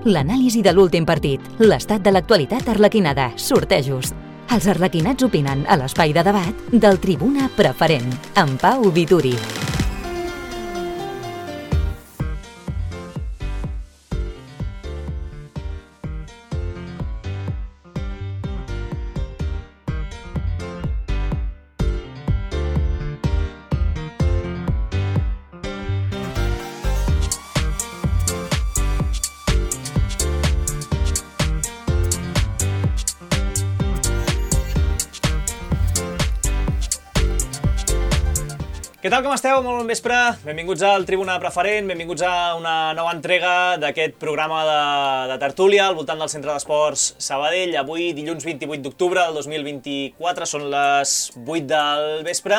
L'anàlisi de l'últim partit, l'estat de l'actualitat arlequinada, sortejos. Els arlequinats opinen a l'espai de debat del Tribuna Preferent, amb Pau Vituri. Què tal, com esteu? Molt bon vespre. Benvinguts al Tribuna Preferent, benvinguts a una nova entrega d'aquest programa de tertúlia al voltant del Centre d'Esports Sabadell. Avui, dilluns 28 d'octubre del 2024, són les 8 del vespre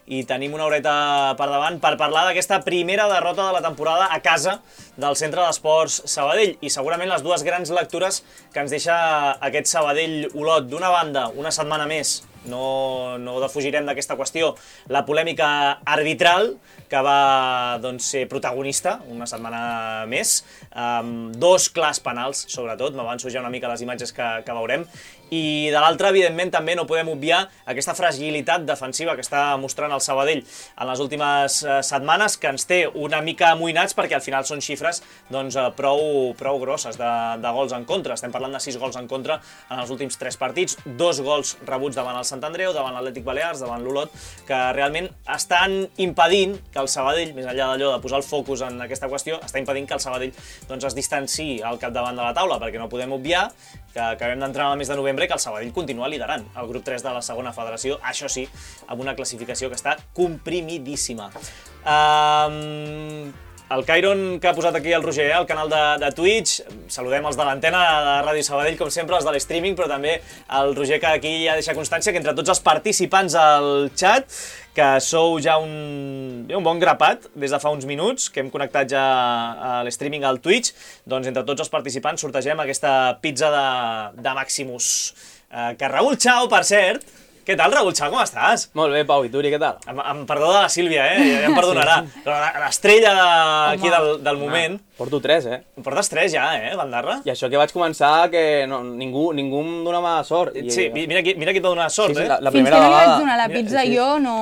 i tenim una horeta per davant per parlar d'aquesta primera derrota de la temporada a casa del Centre d'Esports Sabadell i segurament les dues grans lectures que ens deixa aquest Sabadell-Olot. D'una banda, una setmana més, no defugirem d'aquesta qüestió, la polèmica arbitral que va ser protagonista una setmana més, dos clars penals sobretot, m'avanço ja una mica les imatges que veurem, i de l'altra, evidentment, també no podem obviar aquesta fragilitat defensiva que està mostrant el Sabadell en les últimes setmanes, que ens té una mica amoïnats perquè al final són xifres prou grosses de gols en contra. Estem parlant de 6 gols en contra en els últims 3 partits, 2 gols rebuts davant el Sant Andreu, davant l'Atlètic Balears, davant l'Olot, que realment estan impedint que el Sabadell, més enllà d'allò de posar el focus en aquesta qüestió, està impedint que el Sabadell es distanciï al capdavant de la taula, perquè no podem obviar que acabem d'entrar al mes de novembre i que el Sabadell continua liderant el grup 3 de la segona federació, això sí, amb una classificació que està comprimidíssima. El Cairon que ha posat aquí el Roger al canal de Twitch, saludem els de l'antena de Ràdio Sabadell, com sempre, els de l'streaming, però també el Roger que aquí ja deixa constància que entre tots els participants al chat, que sou ja un bon grapat des de fa uns minuts, que hem connectat ja a l'streaming al Twitch, doncs entre tots els participants sortegem aquesta pizza de Maximus. Que Raül Chao, per cert. Què tal, Raül Chao, com estàs? Molt bé, Pau, i tu, què tal? Amb perdó de la Sílvia, ja em perdonarà. Però l'estrella aquí del moment... Porto 3, Portes 3 ja, Bandarra? I això que vaig començar, que ningú em donava sort. Sí, mira qui et va donar sort, la Fins primera que no li vegada. vaig donar la pizza jo, no...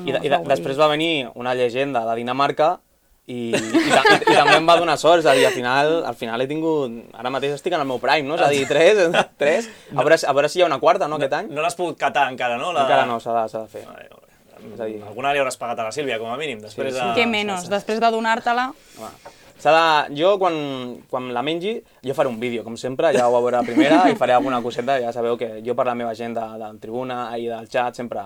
I després va venir una llegenda de Dinamarca i també em va donar sort, és a dir, al final he tingut... Ara mateix estic en el meu prime, no? És a dir, 3, a veure si hi ha una quarta, no, aquest any? No l'has pogut catar encara, no? Encara no, s'ha de fer. Alguna li hauràs pagat a la Sílvia, com a mínim. Què menys, després de donar-te-la... Jo, quan la mengi, jo faré un vídeo, com sempre, ja ho veuré a primera i faré alguna coseta, ja sabeu que jo per la meva gent del Tribuna i del xat sempre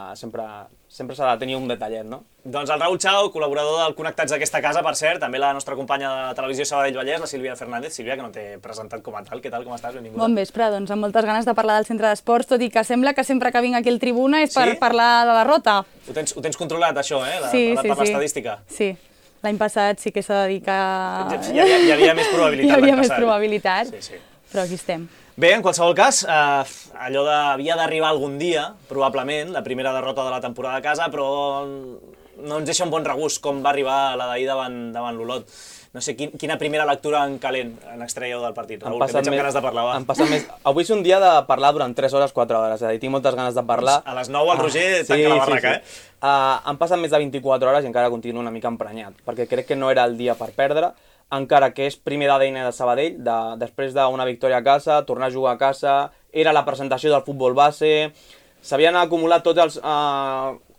s'ha de tenir un detallet, no? Doncs el Raül Chao, col·laborador del Connectats d'aquesta casa, per cert, també la nostra companya de Televisió Sabadell Vallès, la Sílvia Fernández. Sílvia, que no t'he presentat com a tal, què tal, com estàs? Benvinguda. Bon vespre, doncs amb moltes ganes de parlar del Centre d'Esports, tot i que sembla que sempre que vinc aquí al Tribuna és per parlar de derrota. Ho tens controlat, això, Sí. Per l'estadística? Sí. L'any passat sí que s'ha de dir que... Hi havia més probabilitat. Hi havia més probabilitat, sí. Però aquí estem. Bé, en qualsevol cas, allò havia d'arribar algun dia, probablement, la primera derrota de la temporada a casa, però no ens deixa un bon regust com va arribar la d'ahir davant l'Olot. No sé, quina primera lectura en calent n'extraieu del partit, Raül, que veig amb ganes de parlar. Avui és un dia de parlar durant 3 hores, 4 hores, és a dir, tinc moltes ganes de parlar. A les 9 el Roger tanca la barraca, Han passat més de 24 hores i encara continuo una mica emprenyat, perquè crec que no era el dia per perdre, encara que és primer d'ADN de Sabadell, després d'una victòria a casa, tornar a jugar a casa, era la presentació del futbol base, s'havien acumulat tots els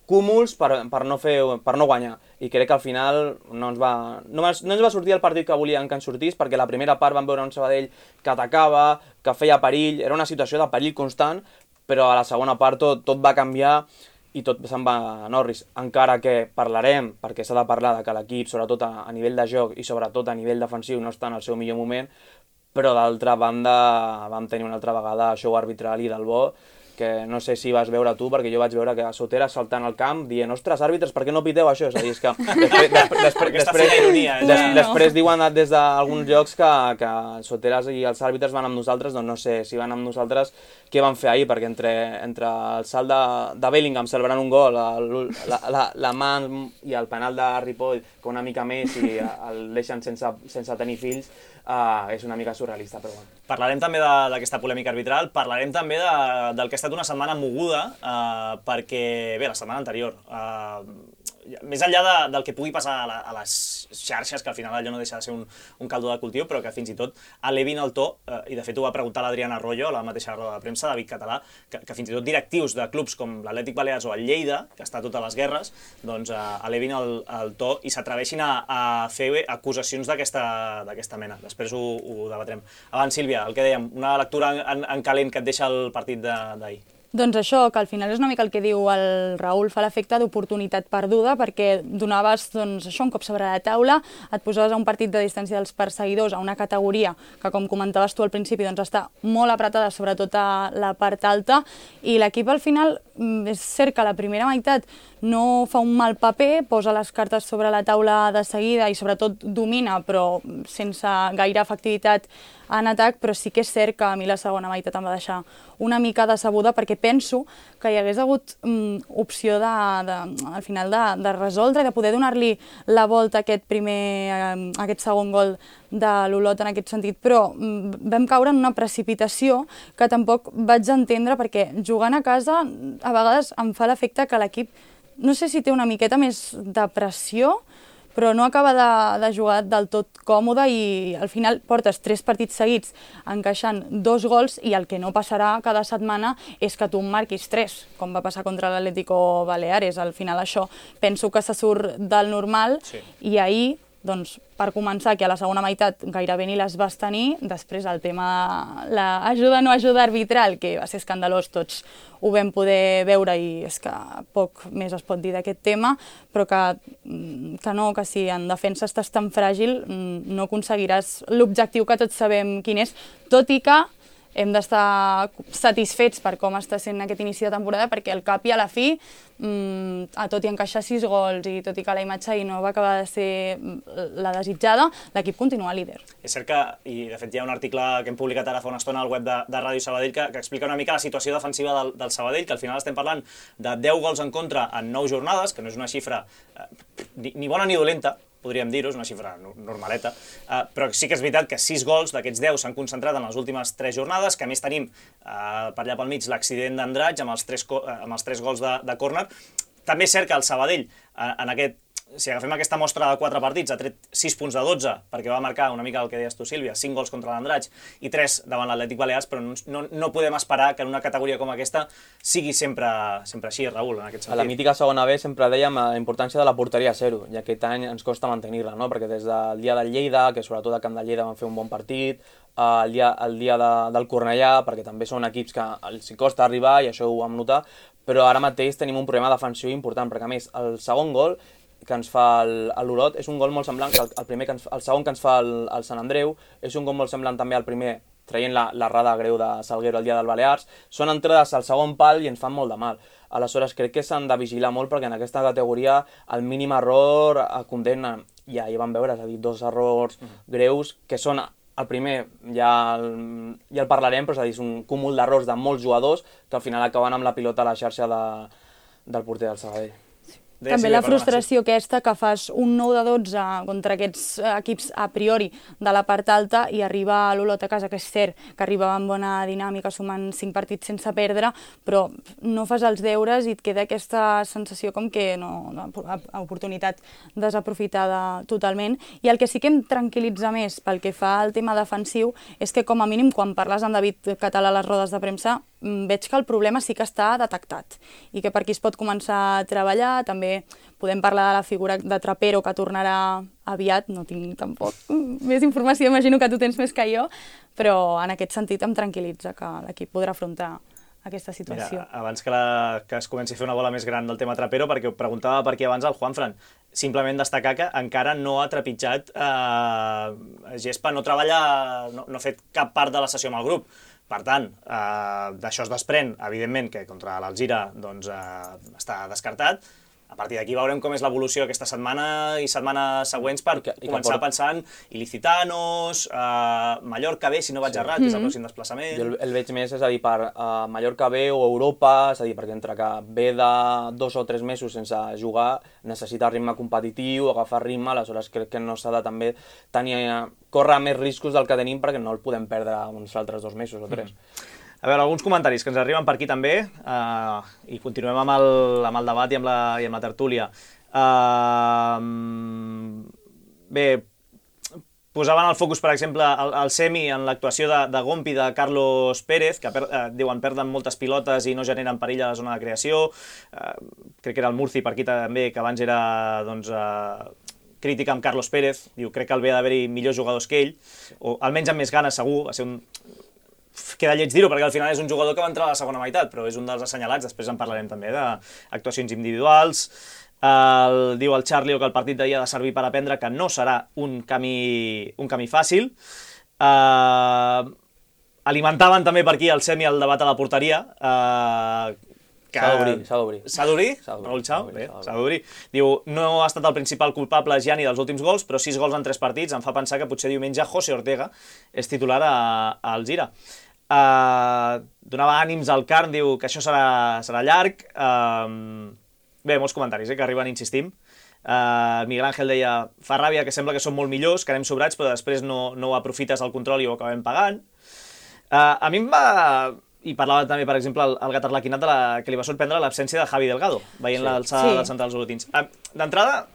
cúmuls per no guanyar, i crec que al final no ens va sortir el partit que volien que ens sortís, perquè la primera part vam veure un Sabadell que atacava, que feia perill, era una situació de perill constant, però a la segona part tot va canviar i tot se'n va a Norris, encara que parlarem, perquè s'ha de parlar de que l'equip, sobretot a nivell de joc i sobretot a nivell defensiu, no està en el seu millor moment, però d'altra banda vam tenir una altra vegada show arbitral i del bo, que no sé si vas veure tu, perquè jo vaig veure que Soteras saltant al camp dient, ostres, àrbitres, per què no piteu això? És a dir, és que després diuen des d'alguns llocs que Soteras i els àrbitres van amb nosaltres, doncs no sé si van amb nosaltres, què van fer ahir, perquè entre el salt de Bellingham celebrant un gol, la mà i el penal de Ripoll, que una mica més i el deixen sense tenir fills, és una mica surrealista, però bueno. Parlarem també d'aquesta polèmica arbitral, parlarem també del que ha estat una setmana moguda, perquè, bé, la setmana anterior, més enllà del que pugui passar a les xarxes, que al final allò no deixa de ser un caldo de cultiu, però que fins i tot elevin el to, i de fet ho va preguntar l'Adriana Arroyo a la mateixa roda de premsa, David Català, que fins i tot directius de clubs com l'Atlètic Balears o el Lleida, que està a totes les guerres, doncs elevin el to i s'atreveixin a fer acusacions d'aquesta mena. Després ho debatrem. Abans, Sílvia, el que dèiem, una lectura en calent que et deixa el partit d'ahir. Doncs això, que al final és una mica el que diu el Raül, fa l'efecte d'oportunitat perduda, perquè donaves això un cop sobre la taula, et posaves a un partit de distància dels perseguidors, a una categoria que, com comentaves tu al principi, doncs està molt apretada, sobretot a la part alta, i l'equip al final, és cert que a la primera meitat no fa un mal paper, posa les cartes sobre la taula de seguida i sobretot domina, però sense gaire efectivitat en atac, però sí que és cert que a mi la segona meitat em va deixar una mica decebuda, perquè penso que hi hagués hagut opció al final de resoldre i de poder donar-li la volta a aquest segon gol de l'Olot en aquest sentit, però vam caure en una precipitació que tampoc vaig entendre, perquè jugant a casa a vegades em fa l'efecte que l'equip, no sé si té una miqueta més de pressió, però no acaba de jugar del tot còmode i al final portes 3 partits seguits encaixant 2 gols i el que no passarà cada setmana és que tu en marquis 3, com va passar contra l'Atlético Baleares. Al final això penso que se surt del normal, sí. I ahir, doncs, per començar, que a la segona meitat gairebé ni les vas tenir, després el tema de l'ajuda o no ajuda arbitral, que va ser escandalós, tots ho vam poder veure i és que poc més es pot dir d'aquest tema, però que si en defensa estàs tan fràgil no aconseguiràs l'objectiu que tots sabem quin és, tot i que hem d'estar satisfets per com està sent aquest inici de temporada, perquè al cap i a la fi, tot i encaixar 6 gols i tot i que la imatge ahir no va acabar de ser la desitjada, l'equip continua líder. És cert que, i de fet hi ha un article que hem publicat ara fa una estona al web de Ràdio Sabadell que explica una mica la situació defensiva del Sabadell, que al final estem parlant de 10 gols en contra en 9 jornades, que no és una xifra ni bona ni dolenta, podríem dir-ho, és una xifra normaleta, però sí que és veritat que 6 gols d'aquests 10 s'han concentrat en les últimes 3 jornades, que a més tenim per allà pel mig l'accident d'Andratx amb els 3 gols de córner. També és cert que el Sabadell, si agafem aquesta mostra de 4 partits, ha tret 6 punts de 12, perquè va marcar una mica el que deies tu, Sílvia, 5 gols contra l'Andratx i 3 davant l'Atlètic Balears, però no podem esperar que en una categoria com aquesta sigui sempre així, Raül, en aquest sentit. A la mítica segona B sempre dèiem la importància de la porteria a 0, i aquest any ens costa mantenir-la, no? Perquè des del dia del Lleida, que sobretot al camp del Lleida van fer un bon partit, el dia del Cornellà, perquè també són equips que els costa arribar i això ho vam notar, però ara mateix tenim un problema defensiu important, perquè a més el segon gol que ens fa l'Olot és un gol molt semblant, el segon que ens fa el Sant Andreu és un gol molt semblant també al primer, traient l'errada greu de Salguero el dia del Balears, són entrades al segon pal i ens fan molt de mal. Aleshores crec que s'han de vigilar molt perquè en aquesta categoria el mínim error condemna, i ahir vam veure, és a dir, 2 errors greus que són el primer, ja el parlarem, però és a dir, és un cúmul d'errors de molts jugadors que al final acaben amb la pilota a la xarxa del porter del Sabadell. També la frustració aquesta que fas un 9 de 12 contra aquests equips a priori de la part alta i arriba a l'Olot a casa, que és cert que arriba amb bona dinàmica, sumant 5 partits sense perdre, però no fas els deures i et queda aquesta sensació com que oportunitat desaprofitada totalment. I el que sí que em tranquil·litza més pel que fa al tema defensiu és que com a mínim quan parles amb David Català a les rodes de premsa veig que el problema sí que està detectat i que per aquí es pot començar a treballar. També podem parlar de la figura de Trapero, que tornarà aviat, no tinc tampoc més informació, imagino que tu tens més que jo, però en aquest sentit em tranquil·litza que l'equip podrà afrontar aquesta situació. Mira, abans que es comenci a fer una bola més gran del tema Trapero, perquè ho preguntava per aquí abans el Juanfran, simplement destacar que encara no ha trepitjat gespa, no treballa, no ha fet cap part de la sessió amb el grup. Per tant, d'això es desprèn, evidentment, que contra l'Alzira està descartat, A partir d'aquí veurem com és l'evolució aquesta setmana i setmanes següents per començar a pensar en Ilicitanos, Mallorca B, si no vaig errat, que és el pròxim desplaçament. Jo el veig més, és a dir, per Mallorca B o Europa, és a dir, perquè entre que ve de 2 o 3 mesos sense jugar, necessita ritme competitiu, agafar ritme, aleshores crec que no s'ha de també córrer més riscos del que tenim perquè no el podem perdre uns altres 2 mesos o 3. A veure, alguns comentaris que ens arriben per aquí també, i continuem amb el debat i amb la tertúlia. Bé, posaven el focus, per exemple, al semi en l'actuació de Gompi de Carlos Pérez, que diuen perden moltes pilotes i no generen perill a la zona de creació. Crec que era el Murci per aquí també, que abans era crítica amb Carlos Pérez. Diu, crec que el ve d'haver-hi millors jugadors que ell, o almenys amb més ganes segur, va ser un... Queda lleig dir-ho, perquè al final és un jugador que va entrar a la segona meitat, però és un dels assenyalats, després en parlarem també d'actuacions individuals. Diu el Charlie que el partit d'ahir ha de servir per aprendre que no serà un camí fàcil. Alimentaven també per aquí el semi el debat a la porteria. S'ha d'obrir. S'ha d'obrir? Raül Chao? Bé, s'ha d'obrir. Diu, no ha estat el principal culpable Gianni dels últims gols, però 6 gols en 3 partits em fa pensar que potser diumenge José Ortega és titular al Gira. Donava ànims al Carn, diu que això serà llarg. Bé, molts comentaris que arriben, insistim. Miguel Ángel deia, fa ràbia que sembla que som molt millors, que anem sobrats, però després no ho aprofites al control i ho acabem pagant. A mi em va... I parlava també, per exemple, el gat arlequinat que li va sorprendre l'absència de Javi Delgado, veient l'alçada dels centrals olotins. D'entrada,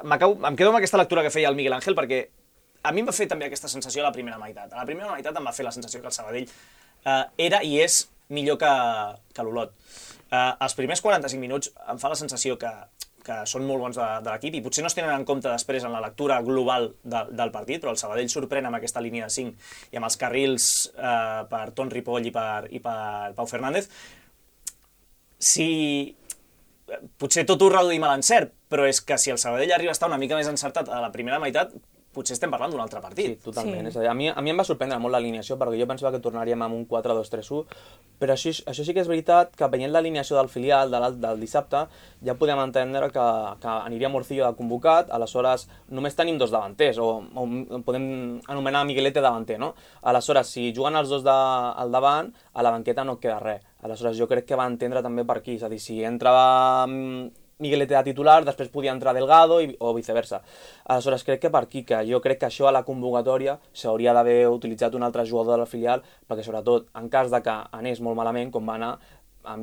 em quedo amb aquesta lectura que feia el Miguel Ángel, perquè a mi em va fer també aquesta sensació a la primera meitat. A la primera meitat em va fer la sensació que el Sabadell era i és millor que l'Olot. Els primers 45 minuts em fa la sensació que són molt bons de l'equip i potser no es tenen en compte després en la lectura global del partit, però el Sabadell sorprèn amb aquesta línia de 5 i amb els carrils per Ton Ripoll i per Pau Fernández. Potser tot ho reduïm a l'encert, però és que si el Sabadell arriba a estar una mica més encertat a la primera meitat, potser estem parlant d'un altre partit. Sí, totalment. Sí. A mi em va sorprendre molt l'alineació, perquè jo pensava que tornaríem amb un 4-2-3-1, però això sí que és veritat que veient l'alineació del filial del dissabte ja podem entendre que aniria Morcillo de convocat, aleshores només tenim 2 davanters, o podem anomenar Miguelete davanter, no? Aleshores, si juguen els 2 al davant, a la banqueta no queda res. Aleshores, jo crec que va entendre també per aquí, és a dir, si entrava Miguelete de titular, després podia entrar Delgado o viceversa. Aleshores, crec que per aquí, que jo crec que això a la convocatòria s'hauria d'haver utilitzat un altre jugador de la filial, perquè sobretot, en cas de que anés molt malament, com va anar,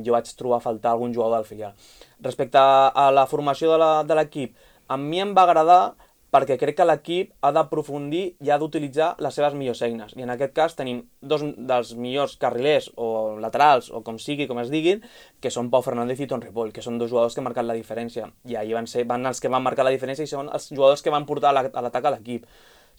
jo vaig trobar a faltar algun jugador del filial. Respecte a la formació de l'equip, a mi em va agradar perquè crec que l'equip ha d'aprofundir i ha d'utilitzar les seves millors eines. I en aquest cas tenim 2 dels millors carrilers o laterals, o com sigui, com es diguin, que són Pau Fernández i Ton Ripoll, que són 2 jugadors que han marcat la diferència. I ahir van els que van marcar la diferència i són els jugadors que van portar a l'atac a l'equip.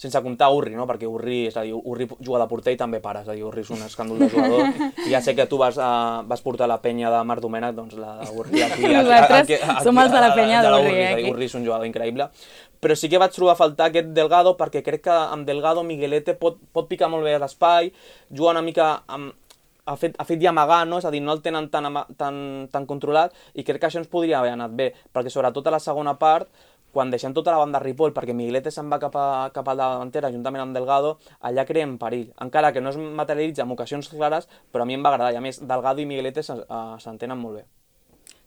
Sense comptar Urri, no? Perquè Urri juga de porter i també para, és a dir, Urri és un escàndol de jugador, i ja sé que tu vas portar la penya de Marc Domènech, doncs la Urri aquí... Nosaltres som els de la penya d'Urri, aquí. Urri és un jugador increïble, però sí que vaig trobar a faltar aquest Delgado, perquè crec que amb Delgado Miguelete pot picar molt bé a l'espai, juga una mica ha fet i amagar, no? És a dir, no el tenen tan controlat, i crec que això ens podria haver anat bé, perquè sobretot a la segona part, quan deixem tota la banda Ripoll, perquè Miguelete se'n va cap a la davantera, juntament amb Delgado, allà creem perill. Encara que no es materialitza en ocasions clares, però a mi em va agradar, i a més, Delgado i Miguelete s'entenen molt bé.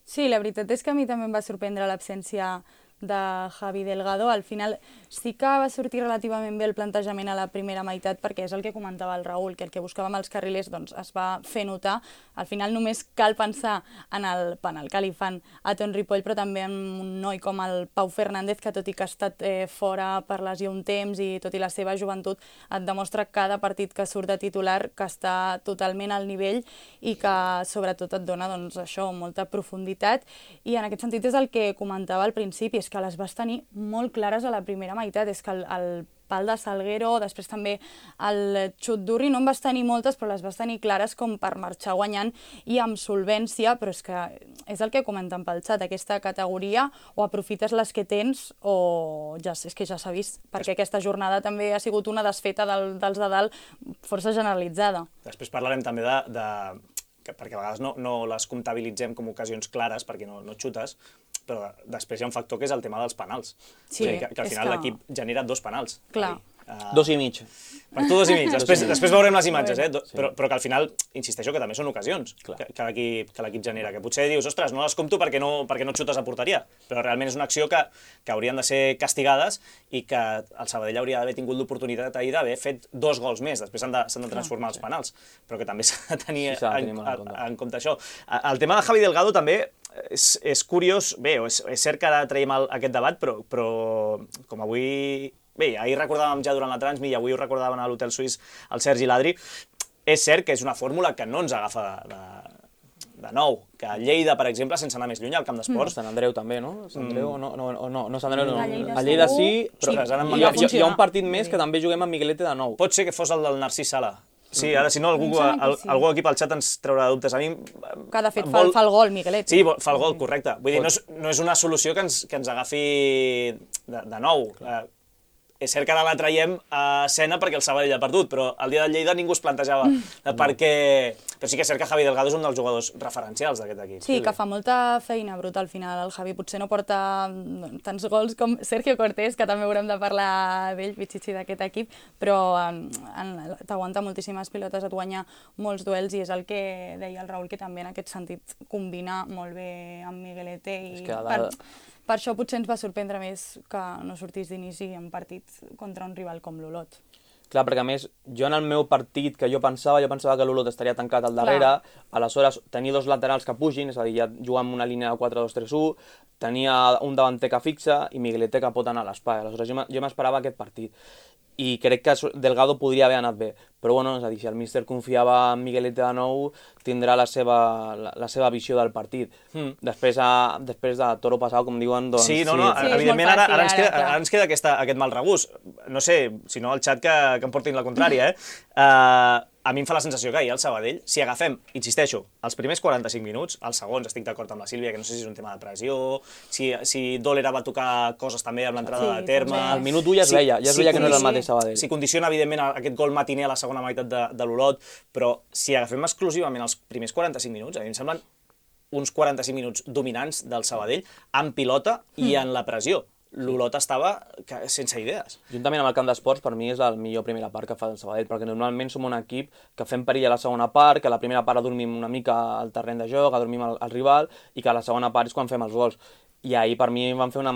Sí, la veritat és que a mi també em va sorprendre l'absència de Javi Delgado. Al final sí que va sortir relativament bé el plantejament a la primera meitat, perquè és el que comentava el Raül, que el que buscàvem als carrilers doncs, es va fer notar. Al final només cal pensar en el penal que li fan a Ton Ripoll, però també en un noi com el Pau Fernández, que tot i que ha estat fora per lesió un temps i tot i la seva joventut, et demostra cada partit que surt de titular que està totalment al nivell i que sobretot et dona doncs, això, molta profunditat. I en aquest sentit és el que comentava al principi, és que les vas tenir molt clares a la primera meitat, és que el pal de Salguero, després també el xut d'Urri, no en vas tenir moltes, però les vas tenir clares com per marxar guanyant i amb solvència, però és que és el que comenten pel xat, aquesta categoria o aprofites les que tens o ja és que ja s'ha vist, perquè aquesta jornada també ha sigut una desfeta dels de dalt força generalitzada. Després parlarem també de perquè a vegades no les comptabilitzem com ocasions clares perquè no xutes, però després hi ha un factor que és el tema dels penals. Sí, que al final l'equip genera 2 penals. Clar. 2,5. Per tu 2,5. Després veurem les imatges, però que al final, insisteixo, que també són ocasions que l'equip genera, que potser dius, ostres, no les compto perquè no xutes a porteria, però realment és una acció que haurien de ser castigades i que el Sabadell hauria d'haver tingut l'oportunitat ahir d'haver fet 2 gols més, després s'han de transformar els penals, però que també s'ha de tenir en compte això. El tema de Javi Delgado també és curiós, bé, és cert que ara traiem aquest debat, però com avui... Bé, ahir recordàvem ja durant la Transmi i avui ho recordaven a l'Hotel Suís el Sergi i l'Adri, és cert que és una fórmula que no ens agafa de nou, que a Lleida, per exemple, sense anar més lluny, al camp d'esports... Sant Andreu també, no? Sant Andreu, no, Sant Andreu no. A Lleida sí, però hi ha un partit més que també juguem a Miguelete de nou. Pot ser que fos el del Narcís Sala. Sí, ara si no, algú aquí pel xat ens traurà dubtes. A mi... Que de fet fa el gol, Miguelet. Sí, fa el gol, correcte. Vull dir, no és una solució que ens agafi de nou. És cert que ara la traiem a escena perquè el Sabadell ha perdut, però el dia del Lleida ningú es plantejava perquè... Però sí que és cert que Javi Delgado és un dels jugadors referencials d'aquest equip. Sí, que fa molta feina bruta al final. El Javi potser no porta tants gols com Sergio Cortés, que també haurem de parlar d'ell, Pichichi, d'aquest equip, però t'aguanta moltíssimes pilotes, et guanya molts duels i és el que deia el Raül, que també en aquest sentit combina molt bé amb Miguelete i... Per això potser ens va sorprendre més que no sortís d'inici en partit contra un rival com l'Olot. Clar, perquè a més, jo en el meu partit que jo pensava que l'Olot estaria tancat al darrere, aleshores tenia 2 laterals que pugin, és a dir, ja jugàvem una línia de 4-2-3-1, tenia un davanter que fixa i Miguelete que pot anar a l'espai. Aleshores jo m'esperava aquest partit. I crec que Delgado podria haver anat bé. Però bueno, és a dir, si el míster confiava en Miguelete de nou, tindrà la seva visió del partit. Després de toro passat, com diuen, doncs... Sí, evidentment ara ens queda aquest mal regús. No sé, si no el xat que em portin la contrària, a mi em fa la sensació que ahir al Sabadell, si agafem, insisteixo, els primers 45 minuts, els segons, estic d'acord amb la Sílvia, que no sé si és un tema de pressió, si Dólera va tocar coses també amb l'entrada de terme... Al minut 1 ja es veia que no era el mateix Sabadell. Si condiciona, evidentment, aquest gol matiner a la segona meitat de l'Olot, però si agafem exclusivament els primers 45 minuts, a mi em semblen uns 45 minuts dominants del Sabadell, amb pilota i en la pressió. L'Olot estava sense idees. Juntament amb el camp d'esports, per mi és la millor primera part que fa el Sabadell, perquè normalment som un equip que fem perill a la segona part, que a la primera part adormim una mica al terreny de joc, adormim el rival, i que a la segona part és quan fem els gols. I ahir per mi van fer una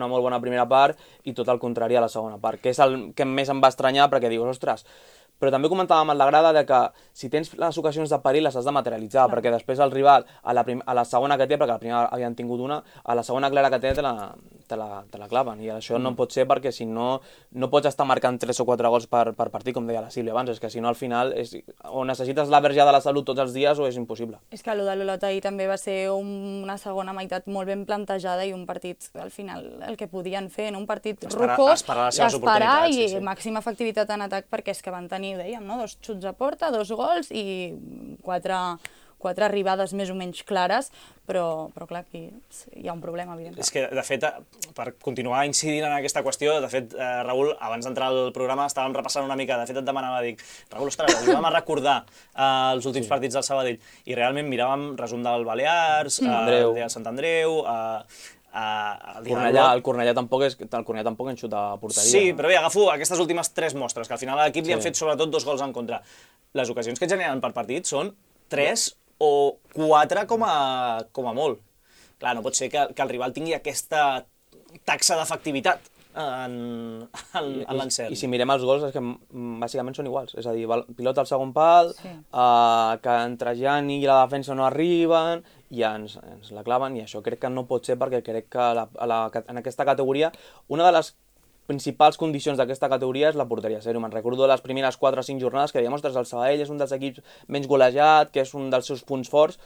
molt bona primera part i tot el contrari a la segona part, que és el que més em va estranyar perquè dius, ostres, però també comentàvem a la grada de que si tens les ocasions de perill les has de materialitzar, perquè després el rival, a la segona que té, perquè a la primera havien tingut una, a la segona clara que té te la claven, i això no pot ser perquè si no pots estar marcant 3 o 4 gols per partit, com deia la Sílvia abans, és que si no al final o necessites la verge de la salut tots els dies o és impossible. És que el de l'Olot ahir també va ser una segona meitat molt ben plantejada i un partit, al final, el que podien fer, un partit rocós, esperar i màxima efectivitat en atac, perquè és que van tenir, ho dèiem, 2 xuts a porta, 2 gols i 4 arribades més o menys clares, però clar, aquí hi ha un problema, evidentment. És que, de fet, per continuar incidint en aquesta qüestió, de fet, Raül, abans d'entrar al programa estàvem repassant una mica, de fet et demanava, dic, Raül, ostres, ajuda'm a recordar els últims partits del Sabadell, i realment miràvem resum del Balears, del Sant Andreu, el Cornellà tampoc enxuta a porteria. Sí, però bé, agafo aquestes últimes 3 mostres, que al final a l'equip li han fet sobretot 2 gols en contra. Les ocasions que generen per partit són 3 o 4 com a molt. Clar, no pot ser que el rival tingui aquesta taxa d'efectivitat en l'encert. I si mirem els gols, és que bàsicament són iguals. És a dir, pilota al segon pal, que entre Gianni i la defensa no arriben, i ens la claven, i això crec que no pot ser, perquè crec que en aquesta categoria una de les principals condicions d'aquesta categoria és la porteria zero. Me'n recordo de les primeres 4 o 5 jornades que dèiem, ostres, el Sabadell és un dels equips menys golejat, que és un dels seus punts forts,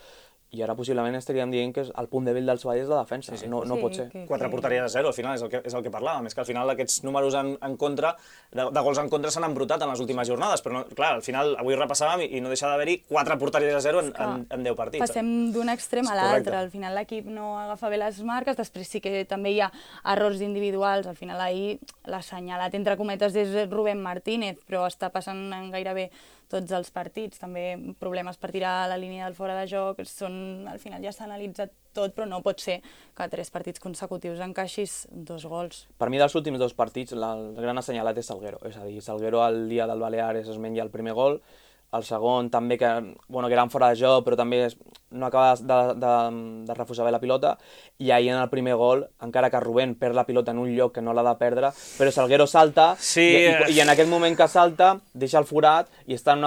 i ara possiblement estaríem dient que el punt dèbil del Sabadell és la defensa. No pot ser. 4 porteries a 0, al final, és el que parlàvem. És que al final aquests números en contra, de gols en contra, s'han embrutat en les últimes jornades, però clar, al final avui repassàvem i no deixa d'haver-hi 4 porteries a 0 en 10 partits. Passem d'un extrem a l'altre, al final l'equip no agafa bé les marques, després sí que també hi ha errors individuals, al final ahir l'assenyalat, entre cometes, és Rubén Martínez, però està passant en gairebé tots els partits, també problemes per tirar la línia del fora de joc, al final ja s'ha analitzat tot, però no pot ser que a 3 partits consecutius encaixis 2 gols. Per mi, dels últims 2 partits, el gran assenyalat és Salguero, és a dir, Salguero el dia del Baleares es menja el primer gol, el segon també, que eren fora de joc, però també no acaba de refusar bé la pilota, i ahir en el primer gol, encara que Rubén perd la pilota en un lloc que no l'ha de perdre, però Salguero salta, i en aquell moment que salta, deixa el forat, i està en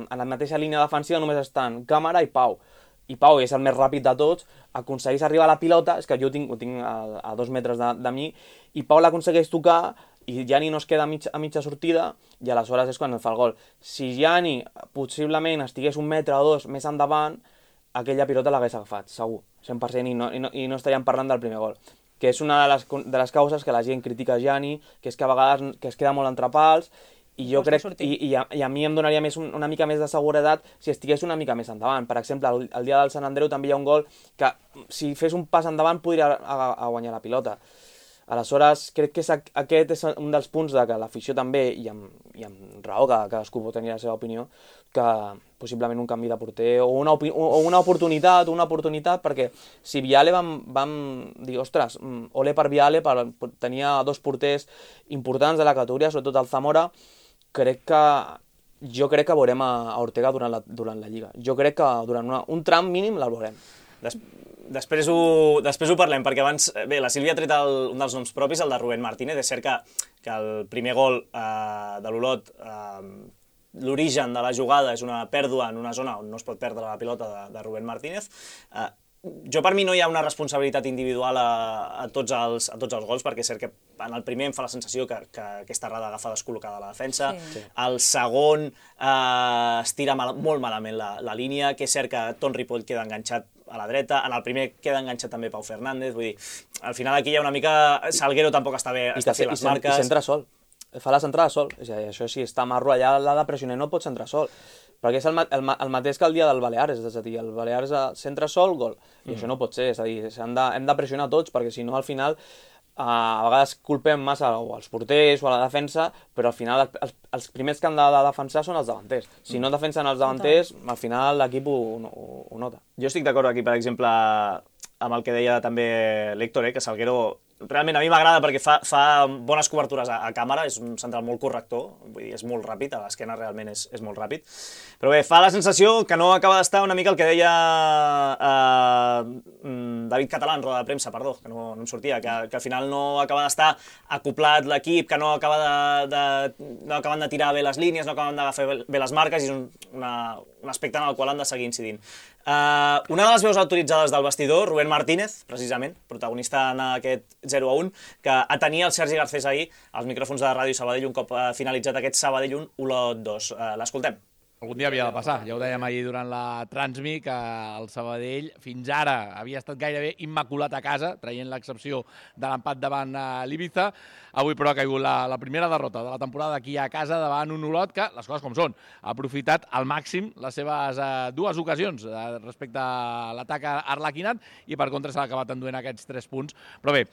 la mateixa línia defensiva, només estan Càmara i Pau. I Pau és el més ràpid de tots, aconsegueix arribar a la pilota, és que jo ho tinc a 2 metres de mi, i Pau l'aconsegueix tocar, i Gianni no es queda a mitja sortida, i aleshores és quan fa el gol. Si Gianni possiblement estigués 1 metre o 2 més endavant, aquella pilota l'hagués agafat, segur, 100%, i no estaríem parlant del primer gol. Que és una de les causes que la gent critica Gianni, que és que a vegades que es queda molt entre pals, i jo crec, i a mi em donaria una mica més de seguretat si estigués una mica més endavant. Per exemple, el dia del Sant Andreu també hi ha un gol que si fes un pas endavant podria guanyar la pilota. Aleshores, crec que aquest és un dels punts de que l'afició també, i amb raó, que cadascú pot tenir la seva opinió, que possiblement un canvi de porter o una oportunitat, perquè si Viale vam dir, ostres, ole per Viale, tenia 2 porters importants de la categoria, sobretot el Zamora, jo crec que veurem a Ortega durant la Lliga. Jo crec que durant un tram mínim la veurem. Després ho parlem, perquè abans, bé, la Sílvia ha tret un dels noms propis, el de Rubén Martínez. És cert que el primer gol de l'Olot, l'origen de la jugada és una pèrdua en una zona on no es pot perdre la pilota de Rubén Martínez. Per mi no hi ha una responsabilitat individual a tots els gols, perquè és cert que en el primer em fa la sensació que aquesta errada agafa descol·locada la defensa. Sí. El segon es tira molt malament la línia, que és cert que Ton Ripoll queda enganxat a la dreta, en el primer queda enganxat també Pau Fernández, vull dir, al final aquí hi ha una mica... Salguero tampoc està bé, està fent les marques... I centra sol, fa la centrada sol, és a dir, això si està Marro allà l'ha de pressionar, no pot centrar sol, perquè és el mateix que el dia del Baleares, és a dir, el Baleares centra sol, gol, i això no pot ser, és a dir, hem de pressionar tots, perquè si no al final a vegades culpem massa als porters o a la defensa, però al final els primers que han de defensar són els davanters. Si no defensen els davanters, al final l'equip ho nota. Jo estic d'acord aquí, per exemple, amb el que deia també l'Héctor, que Salguero realment a mi m'agrada perquè fa bones cobertures a càmera, és un central molt corrector, vull dir, és molt ràpid, a l'esquena realment és molt ràpid. Però bé, fa la sensació que no acaba d'estar una mica el que deia David Català en roda de premsa, perdó, que no em sortia, que al final no acaba d'estar acoplat l'equip, que no acaben de tirar bé les línies, no acaben d'agafar bé les marques, i és un aspecte en el qual han de seguir incidint. Una de les veus autoritzades del vestidor, Rubén Martínez, precisament, protagonista en aquest 0-1, que atenia el Sergi Garcés ahir als micròfons de Ràdio Sabadell un cop finalitzat aquest Sabadell 1, Olot 2. L'escoltem. Algun dia havia de passar, ja ho dèiem ahir durant la Transmi, que el Sabadell fins ara havia estat gairebé immaculat a casa, traient l'excepció de l'empat davant l'Ibiza. Avui però ha caigut la primera derrota de la temporada aquí a casa davant un Olot que, les coses com són, ha aprofitat al màxim les seves 2 ocasions respecte a l'atac arlequinat i per contra s'ha acabat enduent aquests 3 punts. Però bé,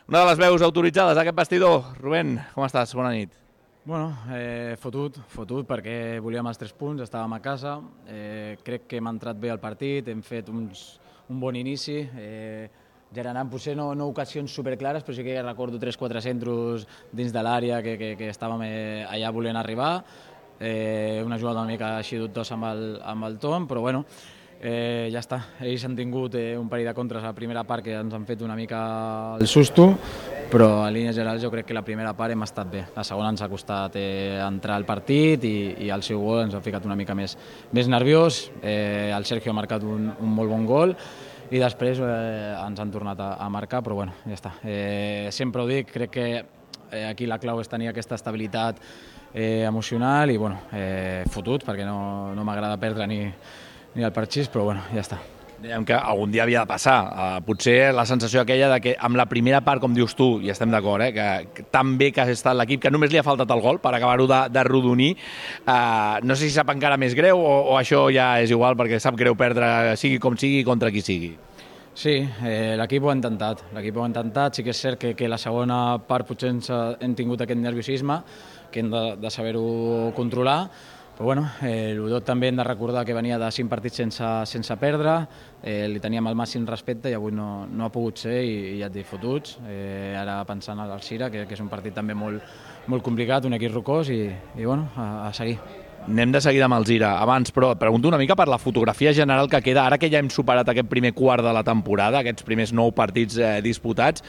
una de les veus autoritzades d'aquest vestidor. Rubén, com estàs? Bona nit. Bueno, fotut perquè volíem els 3 punts, estàvem a casa, crec que hem entrat bé al partit, hem fet un bon inici, generant potser no ocasions superclares, però sí que recordo 3-4 centros dins de l'àrea que estàvem allà volent arribar, una jugada una mica així dubtosa amb el Tom, però bueno, ja està. Ells han tingut un parell de contres a la primera part que ens han fet una mica el susto, però a línies generals jo crec que la primera part hem estat bé. La segona ens ha costat entrar al partit i el seu gol ens ha ficat una mica més nerviós. El Sergio ha marcat un molt bon gol i després ens han tornat a marcar, però bueno, ja està. Sempre ho dic, crec que aquí la clau és tenir aquesta estabilitat emocional i bueno, fotut, perquè no m'agrada perdre ni el parxís, però bueno, ja està. Dèiem que algun dia havia de passar. Potser la sensació aquella de que amb la primera part, com dius tu, i estem d'acord, que tan bé que ha estat l'equip, que només li ha faltat el gol per acabar-ho de rodonir, no sé si sap encara més greu o això ja és igual perquè sap greu perdre, sigui com sigui, contra qui sigui. Sí, l'equip ho ha intentat. Sí que és cert que la segona part potser hem tingut aquest nerviosisme, que hem de saber-ho controlar, però bueno, l'Udot també hem de recordar que venia de 5 partits sense perdre, li teníem el màxim respecte i avui no ha pogut ser i ja et dic, fotuts. Ara pensant al Cira, que és un partit també molt complicat, un equip rocós i bueno, a seguir. Anem de seguida amb el Cira. Abans, però, et pregunto una mica per la fotografia general que queda, ara que ja hem superat aquest primer quart de la temporada, aquests primers 9 partits disputats,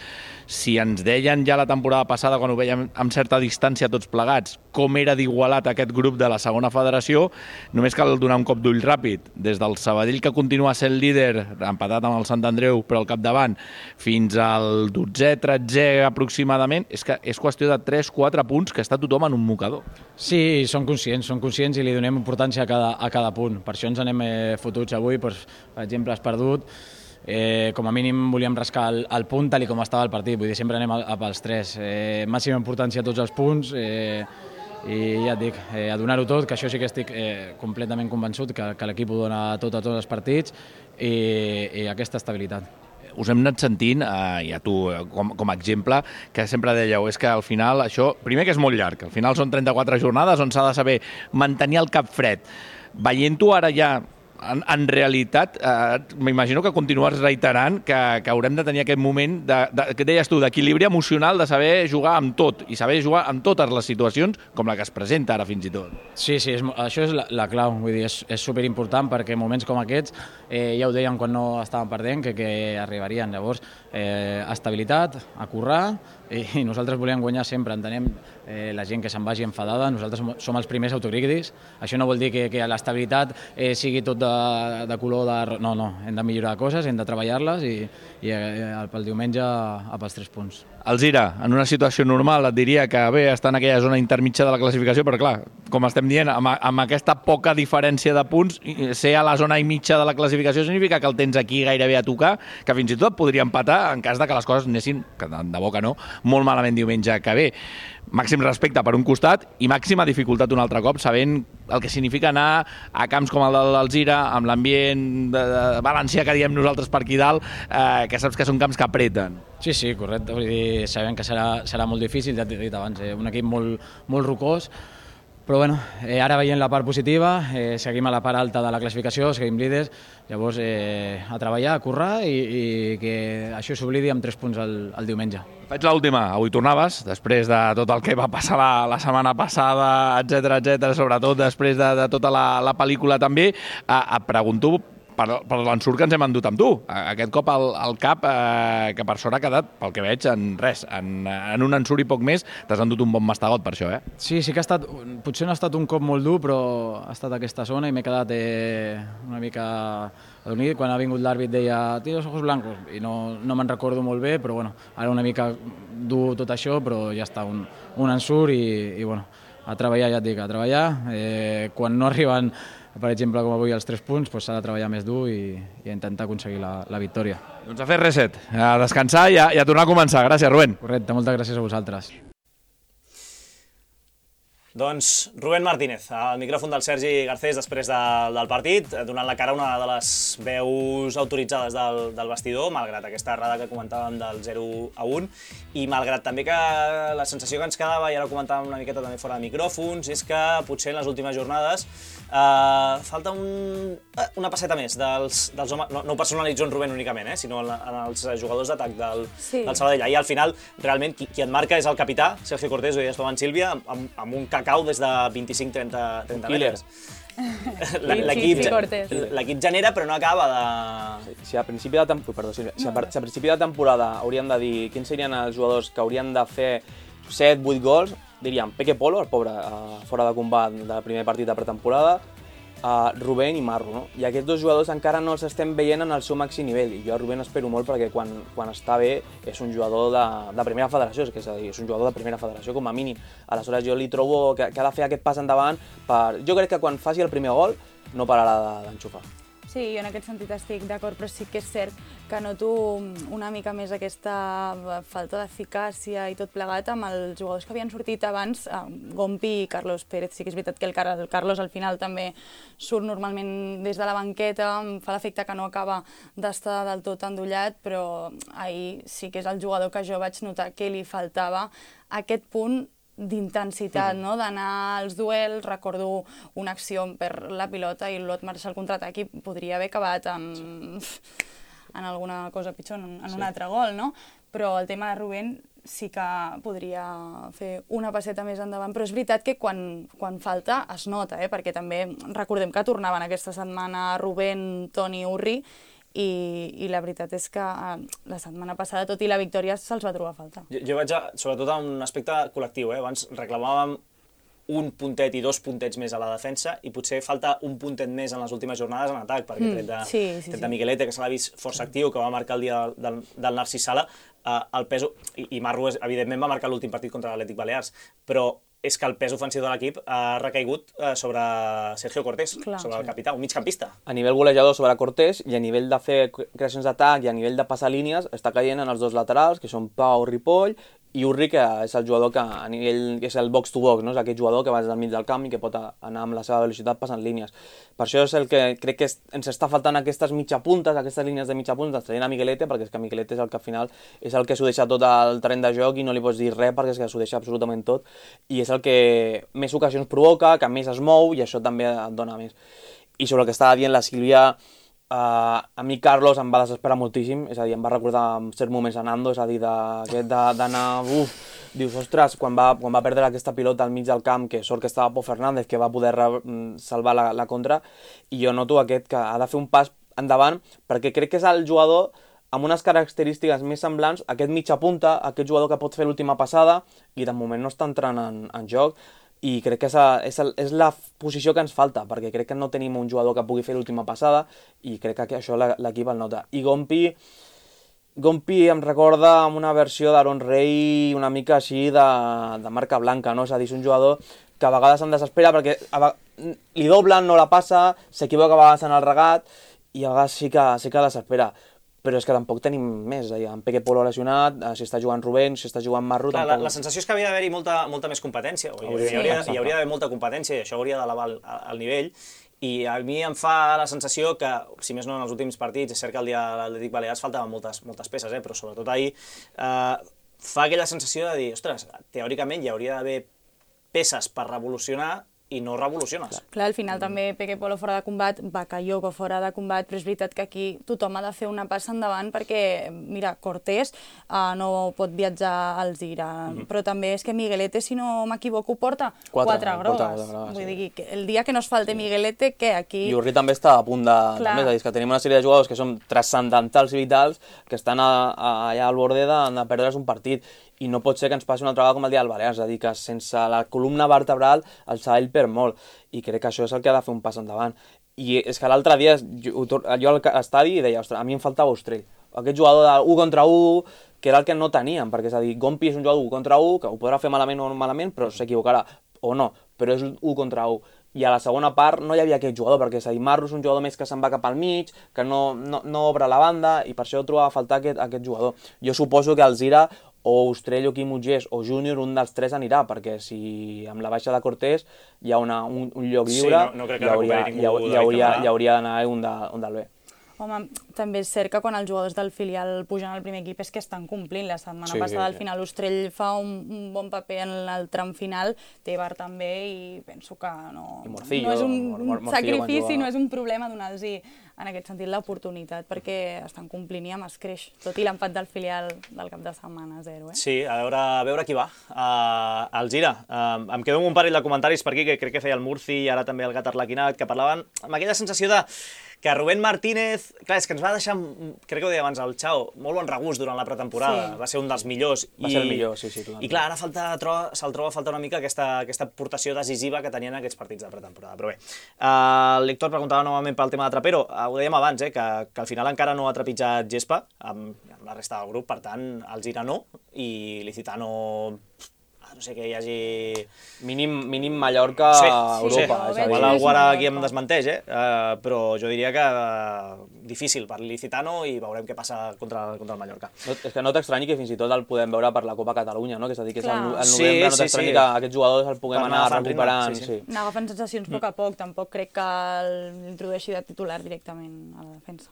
si ens deien ja la temporada passada, quan ho veiem amb certa distància tots plegats, com era d'igualat aquest grup de la segona federació, només cal donar un cop d'ull ràpid. Des del Sabadell, que continua sent líder, empatat amb el Sant Andreu, però al capdavant, fins al 12è, 13è aproximadament, és que és qüestió de 3-4 punts que està tothom en un mocador. Sí, són conscients i li donem importància a cada punt. Per això ens anem fotuts avui, per exemple, has perdut. Com a mínim volíem rascar el punt tal com estava el partit, vull dir, sempre anem pels 3. Màxima importància a tots els punts i ja et dic, a donar-ho tot, que això sí que estic completament convençut, que l'equip ho dona tot a tots els partits i aquesta estabilitat. Us hem anat sentint, i a tu com a exemple, que sempre dèieu, és que al final això, primer que és molt llarg, al final són 34 jornades on s'ha de saber mantenir el cap fred. Veient-ho ara ja, en realitat, m'imagino que continues reiterant que haurem de tenir aquest moment, que deies tu, d'equilibri emocional, de saber jugar amb tot, i saber jugar amb totes les situacions, com la que es presenta ara fins i tot. Sí, això és la clau, vull dir, és superimportant perquè en moments com aquests, ja ho dèiem quan no estàvem perdent, que arribarien. Llavors, estabilitat, a currar, i nosaltres volem guanyar sempre, entenem la gent que se'n vagi enfadada, nosaltres som els primers autocrítics, això no vol dir que l'estabilitat sigui tot de color de... No, hem de millorar coses, hem de treballar-les i pel diumenge pels 3 punts. Alzira, en una situació normal et diria que bé, està en aquella zona intermitja de la classificació, però clar, com estem dient, amb aquesta poca diferència de punts, ser a la zona mitja de la classificació significa que el tens aquí gairebé a tocar, que fins i tot podria empatar en cas de que les coses anessin, que de bo que no, molt malament diumenge que ve. Màxim respecte per un costat i màxima dificultat un altre cop, sabent el que significa anar a camps com el de l'Alzira, amb l'ambient valencià que diem nosaltres per aquí dalt, que saps que són camps que apreten. Sí, correcte. Vull dir, sabem que serà molt difícil, ja t'he dit abans, un equip molt rocós, però bueno, ara veient la part positiva, seguim a la part alta de la classificació, seguim líders, llavors a treballar, a currar i que això s'oblidi amb 3 punts el diumenge. Faig l'última. Avui tornaves, després de tot el que va passar la setmana passada, etcètera, sobretot després de tota la pel·lícula també, et pregunto per l'ensurt que ens hem endut amb tu. Aquest cop al cap, que per sort ha quedat, pel que veig, en res. En un ensurt i poc més, t'has endut un bon mastegot per això, Sí que ha estat, potser no ha estat un cop molt dur, però ha estat aquesta zona i m'he quedat una mica adormit. Quan ha vingut l'àrbit deia, tira els ojos blancos, i no me'n recordo molt bé, però bueno, ara una mica dur tot això, però ja està, un ensurt i bueno, a treballar, ja et dic, a treballar. Quan no arriben, per exemple, com avui els 3 punts, s'ha de treballar més dur i intentar aconseguir la victòria. Doncs a fer reset, a descansar i a tornar a començar. Gràcies, Rubén. Correcte, moltes gràcies a vosaltres. Doncs Rubén Martínez, al micròfon del Sergi Garcés després del partit, donant la cara a una de les veus autoritzades del vestidor, malgrat aquesta errada que comentàvem del 0-1, i malgrat també que la sensació que ens quedava, i ara ho comentàvem una miqueta també fora de micròfons, és que potser en les últimes jornades falta una passeta més dels homes, no ho personalitzo en Rubén únicament, sinó en els jugadors d'atac del Sabadell. Ahir al final, realment, qui et marca és el capità, Sergio Cortés, ho deies tu abans, Sílvia, amb un cacau des de 25-30 metres. L'equip genera però no acaba de... Si a principi de temporada hauríem de dir quins serien els jugadors que haurien de fer 7-8 gols, diríem Peque Polo, el pobre, fora de combat del primer partit de pretemporada, Rubén i Marro, no? I aquests 2 jugadors encara no els estem veient en el seu màxim nivell, i jo a Rubén espero molt perquè quan està bé és un jugador de primera federació, és a dir, és un jugador de primera federació com a mínim. Aleshores jo li trobo que ha de fer aquest pas endavant jo crec que quan faci el primer gol no pararà d'enxufar. Sí, jo en aquest sentit estic d'acord, però sí que és cert que noto una mica més aquesta falta d'eficàcia i tot plegat amb els jugadors que havien sortit abans, Gompi i Carlos Pérez. Sí que és veritat que el Carlos al final també surt normalment des de la banqueta, em fa l'efecte que no acaba d'estar del tot endollat, però ahir sí que és el jugador que jo vaig notar que li faltava aquest punt d'intensitat, no? D'anar als duels. Recordo una acció on perd la pilota i l'Ot marxa al contraatac i podria haver acabat en alguna cosa pitjor, en un altre gol, no? Però el tema de Rubén sí que podria fer una passeta més endavant, però és veritat que quan falta es nota, perquè també recordem que tornaven aquesta setmana Rubén, Toni, Urri, i la veritat és que la setmana passada, tot i la victòria, se'ls va trobar a falta. Jo vaig, sobretot, a un aspecte col·lectiu. Abans reclamàvem un puntet i 2 puntets més a la defensa i potser falta un puntet més en les últimes jornades en atac, perquè tret de Miguelete, que se l'ha vist força actiu, que va marcar el dia del Narcís Sala, el pes... I Marro, evidentment, va marcar l'últim partit contra l'Atlètic Balears, però és que el pes ofensiu de l'equip ha recaigut sobre Sergio Cortés, sobre el capità, un migcampista. A nivell golejador sobre Cortés i a nivell de fer creacions d'atac i a nivell de passar línies està caient en els dos laterals, que són Pau, Ripoll, i Urri, que és el jugador que a nivell és el box-to-box, no? És aquest jugador que va des del mig del camp i que pot anar amb la seva velocitat passant línies. Per això és el que crec que ens està faltant aquestes mitjapuntes, aquestes línies de mitjapuntes, traient a Miguelete, perquè és que Miguelete és el que al final és el que s'ho deixa tot al terreny de joc i no li pots dir res perquè és que s'ho deixa absolutament tot i és el que més ocasions provoca, que més es mou i això també et dona més. I sobre el que estava dient la Sílvia, a mi Carlos em va desesperar moltíssim, és a dir, em va recordar en certs moments a Nando, és a dir, d'anar, dius, ostres, quan va perdre aquesta pilota al mig del camp, que sort que estava Pau Fernández, que va poder salvar la contra, i jo noto aquest que ha de fer un pas endavant, perquè crec que és el jugador amb unes característiques més semblants, aquest mitja punta, aquest jugador que pot fer l'última passada, i de moment no està entrant en joc, i crec que és la posició que ens falta, perquè crec que no tenim un jugador que pugui fer l'última passada i crec que això l'equip el nota. I Gompi em recorda amb una versió d'Aaron Rey una mica així de marca blanca, no? És a dir, és un jugador que a vegades em desespera perquè li doblen, no la passa, s'equivoca a vegades en el regat i a vegades sí que desespera. Però és que tampoc tenim més, en Peque Polo lesionat, si està jugant Rubén, si està jugant Marro... Clar, la sensació és que havia d'haver-hi molta més competència, hi hauria d'haver molta competència i això hauria d'elevar el nivell, i a mi em fa la sensació que, si més no en els últims partits, és cert que el dia de l'Atlètic Balears faltaven moltes peces, però sobretot ahir fa aquella sensació de dir, ostres, teòricament hi hauria d'haver peces per revolucionar i no revoluciones. Clar, al final també Peque Polo fora de combat, Bakayoko fora de combat, però és veritat que aquí tothom ha de fer una passa endavant perquè, mira, Cortés no pot viatjar al Zira, però també és que Miguelete, si no m'equivoco, porta 4 grogues. Vull dir, que el dia que no es falte Miguelete, què, aquí... I Urri també està a punt de... També, és a dir, que tenim una sèrie de jugadors que són transcendentals i vitals, que estan allà al borde de perdre's un partit. I no pot ser que ens passi una altra vegada com el dia del Balears, és a dir, que sense la columna vertebral el Sabadell perd molt, i crec que això és el que ha de fer un pas endavant. I és que l'altre dia jo al estadi deia, ostres, a mi em faltava Ostrell, aquest jugador de 1 contra 1, que era el que no teníem, perquè és a dir, Gompi és un jugador de 1 contra 1, que ho podrà fer malament o no malament, però s'equivocarà, o no, però és 1 contra 1. I a la segona part no hi havia aquest jugador, perquè és a dir, Marro és un jugador més que se'n va cap al mig, que no obre la banda, i per això trobava a faltar aquest jugador. Jo suposo que el Zira o Ostrell o Quim Ugés o Júnior, un dels tres anirà, perquè si amb la baixa de Cortés hi ha un lloc lliure, hi hauria d'anar un del B. Home, també és cert que quan els jugadors del filial pugen al primer equip és que estan complint. La setmana passada al final Ostrell fa un bon paper en el tram final, Tebar també, i penso que no és un sacrifici, no és un problema donar-los en aquest sentit l'oportunitat, perquè estan complint i amb escreix, tot i l'empat del filial del cap de setmana 0. Sí, a veure qui va. El Gira. Em quedo amb un parell de comentaris per aquí, que crec que feia el Murci i ara també el Gat Arlequinat, que parlaven amb aquella sensació de que Rubén Martínez, clar, és que ens va deixar, crec que ho deia abans el Xao, molt bon regust durant la pretemporada, va ser un dels millors. Va ser el millor, sí. I clar, ara se'l troba a faltar una mica aquesta aportació decisiva que tenien aquests partits de pretemporada. Però bé, l'Héctor preguntava novament pel tema de Trapero, ho dèiem abans, que al final encara no ha trepitjat gespa amb la resta del grup, per tant, el Gira no, i l'Icitano no sé, que hi hagi... Mínim Mallorca, Europa. Sí, igual algú ara aquí em desmenteix, però jo diria que difícil per l'Ilicitano i veurem què passa contra el Mallorca. És que no t'estranyi que fins i tot el podem veure per la Copa Catalunya, no? Que és a dir, que és al novembre, Sí, no t'estranyi que aquests jugadors el puguem anar recuperant. Anar agafant sensacions a poc a poc, tampoc crec que l'introdueixi de titular directament a la defensa.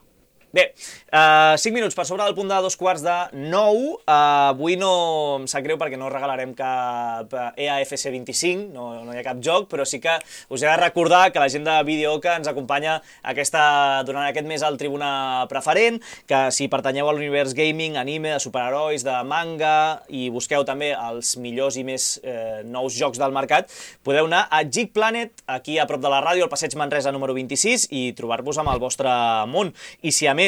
Bé, 5 minuts per sobre del punt de 8:45. Avui no em sap greu perquè no regalarem cap EAFC 25, no hi ha cap joc, però sí que us he de recordar que la gent de Videoca ens acompanya durant aquest mes al Tribuna Preferent, que si pertanyeu a l'univers gaming, anime, de superherois, de manga, i busqueu també els millors i més nous jocs del mercat, podeu anar a Geek Planet, aquí a prop de la ràdio, al Passeig Manresa número 26, i trobar-vos amb el vostre món. I si a més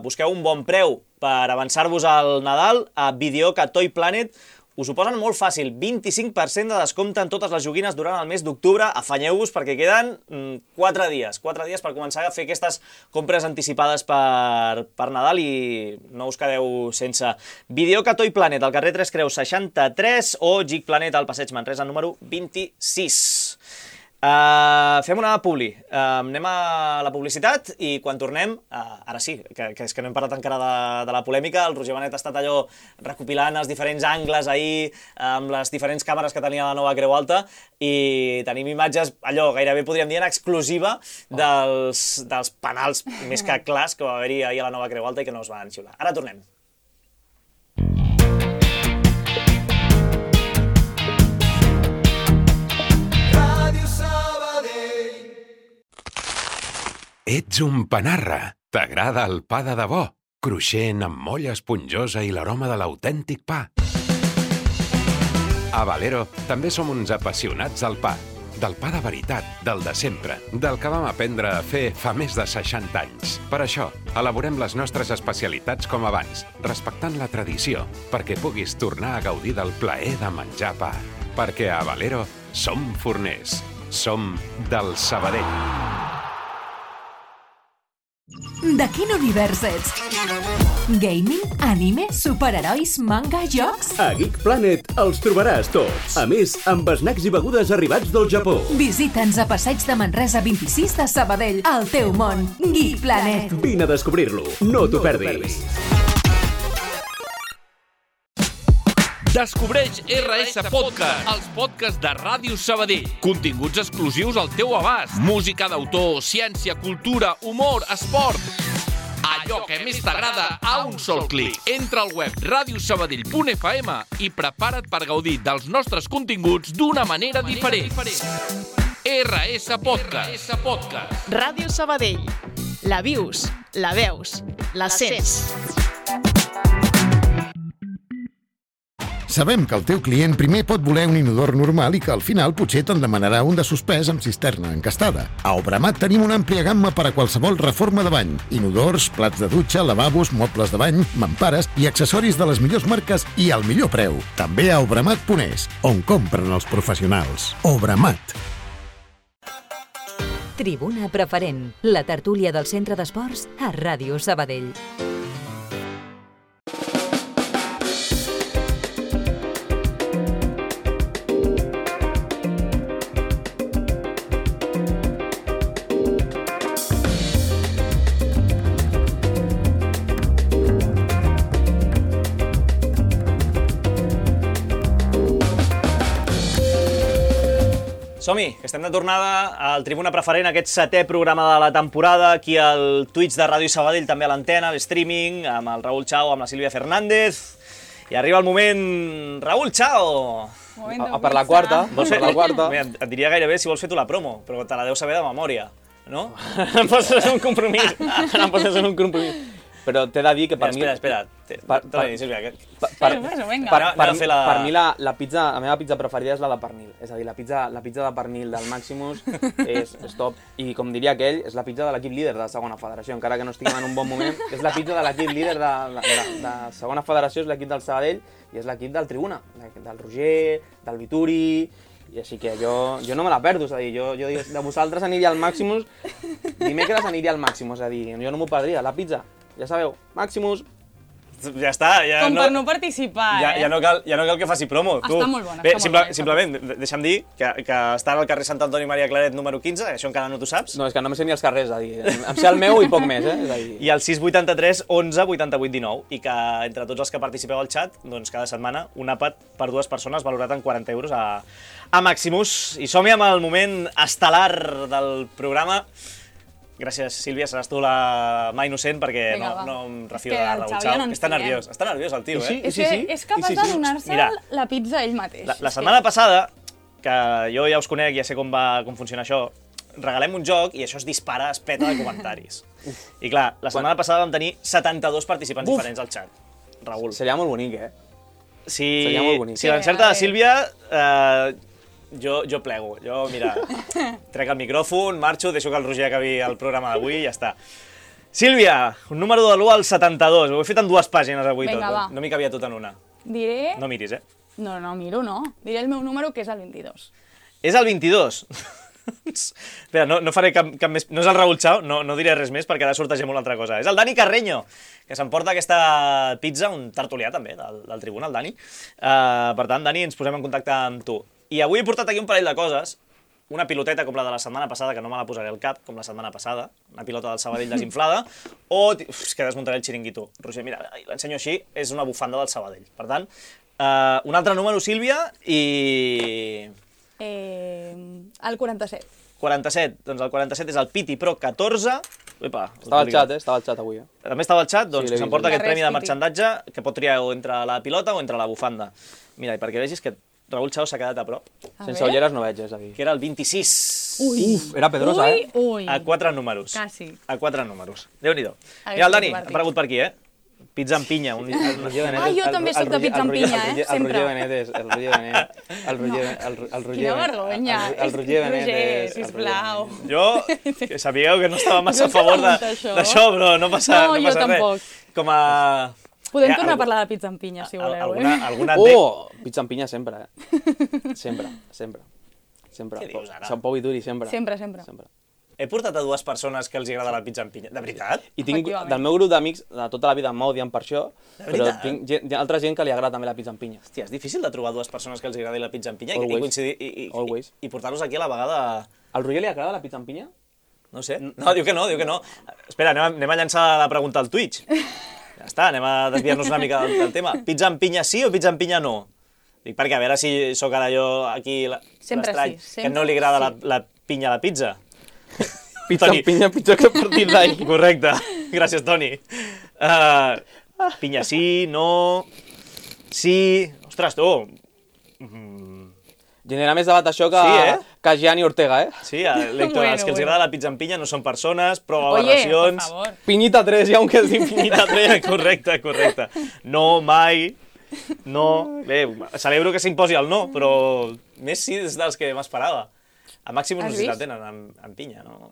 busqueu un bon preu per avançar-vos al Nadal, a Videoca Toy Planet us ho posen molt fàcil, 25% de descompte en totes les joguines durant el mes d'octubre. Afanyeu-vos perquè queden 4 dies per començar a fer aquestes compres anticipades per Nadal i no us quedeu sense. Videoca Toy Planet, al carrer Tres Creus 63, o Geek Planet al Passeig Manresa número 26. Fem una publi, anem a la publicitat i quan tornem, ara sí, que és que no hem parlat encara de la polèmica, el Roger Benet ha estat allò recopilant els diferents angles ahir amb les diferents càmeres que tenia la nova Creu Alta i tenim imatges, allò gairebé podríem dir en exclusiva dels penals més que clars que va haver-hi ahir a la nova Creu Alta i que no es van xiular. Ara tornem. Ets un panarra. T'agrada el pa de debò? Cruixent, amb molla esponjosa i l'aroma de l'autèntic pa. A Valero també som uns apassionats del pa. Del pa de veritat, del de sempre, del que vam aprendre a fer fa més de 60 anys. Per això, elaborem les nostres especialitats com abans, respectant la tradició, perquè puguis tornar a gaudir del plaer de menjar pa. Perquè a Valero som forners. Som del Sabadell. De quin univers ets? Gaming, anime, superherois, manga, jocs? A Geek Planet els trobaràs tots. A més, amb snacks i begudes arribats del Japó. Visita'ns a Passeig de Manresa 26 de Sabadell, al teu món. Geek Planet. Vine a descobrir-lo. No t'ho perdis. Descobreix RS Podcast, els podcasts de Ràdio Sabadell. Continguts exclusius al teu abast. Música d'autor, ciència, cultura, humor, esport. Allò que més t'agrada a un sol clic. Entra al web radiosabadell.fm i prepara't per gaudir dels nostres continguts d'una manera diferent. RS Podcast. Ràdio Sabadell. La vius, la veus, la sents. Sabem que el teu client primer pot voler un inodor normal i que al final potser te'n demanarà un de suspès amb cisterna encastada. A Obramat tenim una àmplia gamma per a qualsevol reforma de bany. Inodors, plats de dutxa, lavabos, mobles de bany, mampares i accessoris de les millors marques i al millor preu. També a Obramat.es, on compren els professionals. Obramat. Tribuna Preferent, la tertúlia del Centre d'Esports a Ràdio Sabadell. Som-hi, que estem de tornada al Tribuna Preferent, aquest 7è programa de la temporada, aquí al Twitch de Ràdio Sabadell, també a l'antena, a l'streaming, amb el Raúl Chao, amb la Sílvia Fernández. I arriba el moment... Raúl Chao! Per la quarta. Vols fer la quarta? Et diria gairebé si vols fer tu la promo, però te la deus saber de memòria, no? Em poses un compromís. Però t'he de dir que per mi... Espera. Torna-hi, Sílvia. Per mi la meva pizza preferida és la de pernil. És a dir, la pizza de pernil del Maximus és top. I com diria aquell, és la pizza de l'equip líder de segona federació. Encara que no estiguem en un bon moment, és la pizza de l'equip líder de segona federació, és l'equip del Sabadell i és l'equip del Tribuna. Del Roger, del Vituri... I així que jo no me la perdo, és a dir, jo dic, de vosaltres aniria al Maximus, dimecres aniria al Maximus, és a dir, jo no m'ho perdria, la pizza, ja sabeu, Maximus. Ja està. Com per no participar, ja no cal que faci promo. Està molt bona. Bé, simplement, deixa'm dir que està al carrer Sant Antoni Maria Claret número 15, això encara no t'ho saps. No, és que no me sé ni els carrers, em sé el meu i poc més, I el 683 11 88 19, i que entre tots els que participeu al xat, doncs cada setmana un àpat per 2 persones valorat en 40 euros a Maximus. I som-hi amb el moment estel·lar del programa. Gràcies, Sílvia, seràs tu la mà innocent perquè no em refio de Raúl Chao. Està nerviós el tio, És capaç de donar-se la pizza ell mateix. La setmana passada, que jo ja us conec, ja sé com funciona això, regalem un joc i això es dispara, es peta de comentaris. I clar, la setmana passada vam tenir 72 participants diferents al xat. Raúl. Seria molt bonic, Si l'encerta de Sílvia... Jo plego, mira, trec el micròfon, marxo, deixo que el Roger acabi el programa d'avui i ja està. Sílvia, un número de l'1 al 72, ho he fet en 2 pàgines avui tot, no m'hi cabia tot en una. Diré... No miris, No, miro, no. Diré el meu número, que és el 22. És el 22? Espera, no faré cap més... No és el Raúl Chao, no diré res més perquè ara sortegem una altra cosa. És el Dani Carreño, que s'emporta aquesta pizza, un tertulià també del Tribuna, el Dani. Per tant, Dani, ens posem en contacte amb tu. I avui he portat aquí un parell de coses, una piloteta com la de la setmana passada, que no me la posaré al cap, com la setmana passada, una pilota del Sabadell desinflada, és que desmuntaré el xiringuito. Roger, mira, l'ensenyo així, és una bufanda del Sabadell. Per tant, un altre número, Sílvia, i... El 47. 47, doncs el 47 és el Piti Pro 14. Epa, estava al xat avui. També estava al xat, doncs que s'emporta aquest premi de marxandatge, que pot triar entre la pilota o entre la bufanda. Mira, i perquè vegis que Raúl Chao s'ha quedat a prop. Sense ulleres no veig, és a dir. Que era el 26. Era pedrosa, A 4 números. Quasi. A 4 números. Déu-n'hi-do. Mira, el Dani, ha aparegut per aquí, Pizza amb pinya. Jo també soc de pizza amb pinya, sempre. El Roger Quina vergonya. El Roger Benítez. Sisplau. Jo, que sabíeu que no estava massa a favor d'això, però no passa res. No, jo tampoc. Com a... Podem tornar a parlar de pizza amb pinya, si voleu, Pizza amb pinya sempre, Sempre. Què dius ara? Sant Pau i Duri, sempre. Sempre. He portat a 2 persones que els agrada la pizza amb pinya. De veritat? I tinc, del meu grup d'amics, de tota la vida m'odien per això, però tinc altra gent que li agrada també la pizza amb pinya. Hòstia, és difícil de trobar 2 persones que els agradi la pizza amb pinya i coincidir i portar-los aquí a la vegada... Al Roger li agrada la pizza amb pinya? No sé. No, diu que no. Espera, anem a llançar la pregunta al Twitch. Ja està, anem a desviar-nos una mica del tema. Pizza amb pinya sí o pizza amb pinya no? Dic perquè a veure si sóc ara jo aquí l'estrany, que no li agrada la pinya a la pizza. Pizza amb pinya pitjor que partit d'ahir. Correcte, gràcies Toni. Pinya sí, no... Sí... Ostres, tu... Genera més debat això que Gianni Ortega, Sí, Héctor, els que els agrada la pizza amb pinya no són persones, prou aberracions... Pinyita 3, ja un que es diu Pinyita 3, correcte. No, mai, no... Bé, celebro que s'imposi el no, però més sí és dels que m'esperava. A Maximus no sé si la tenen amb pinya, no?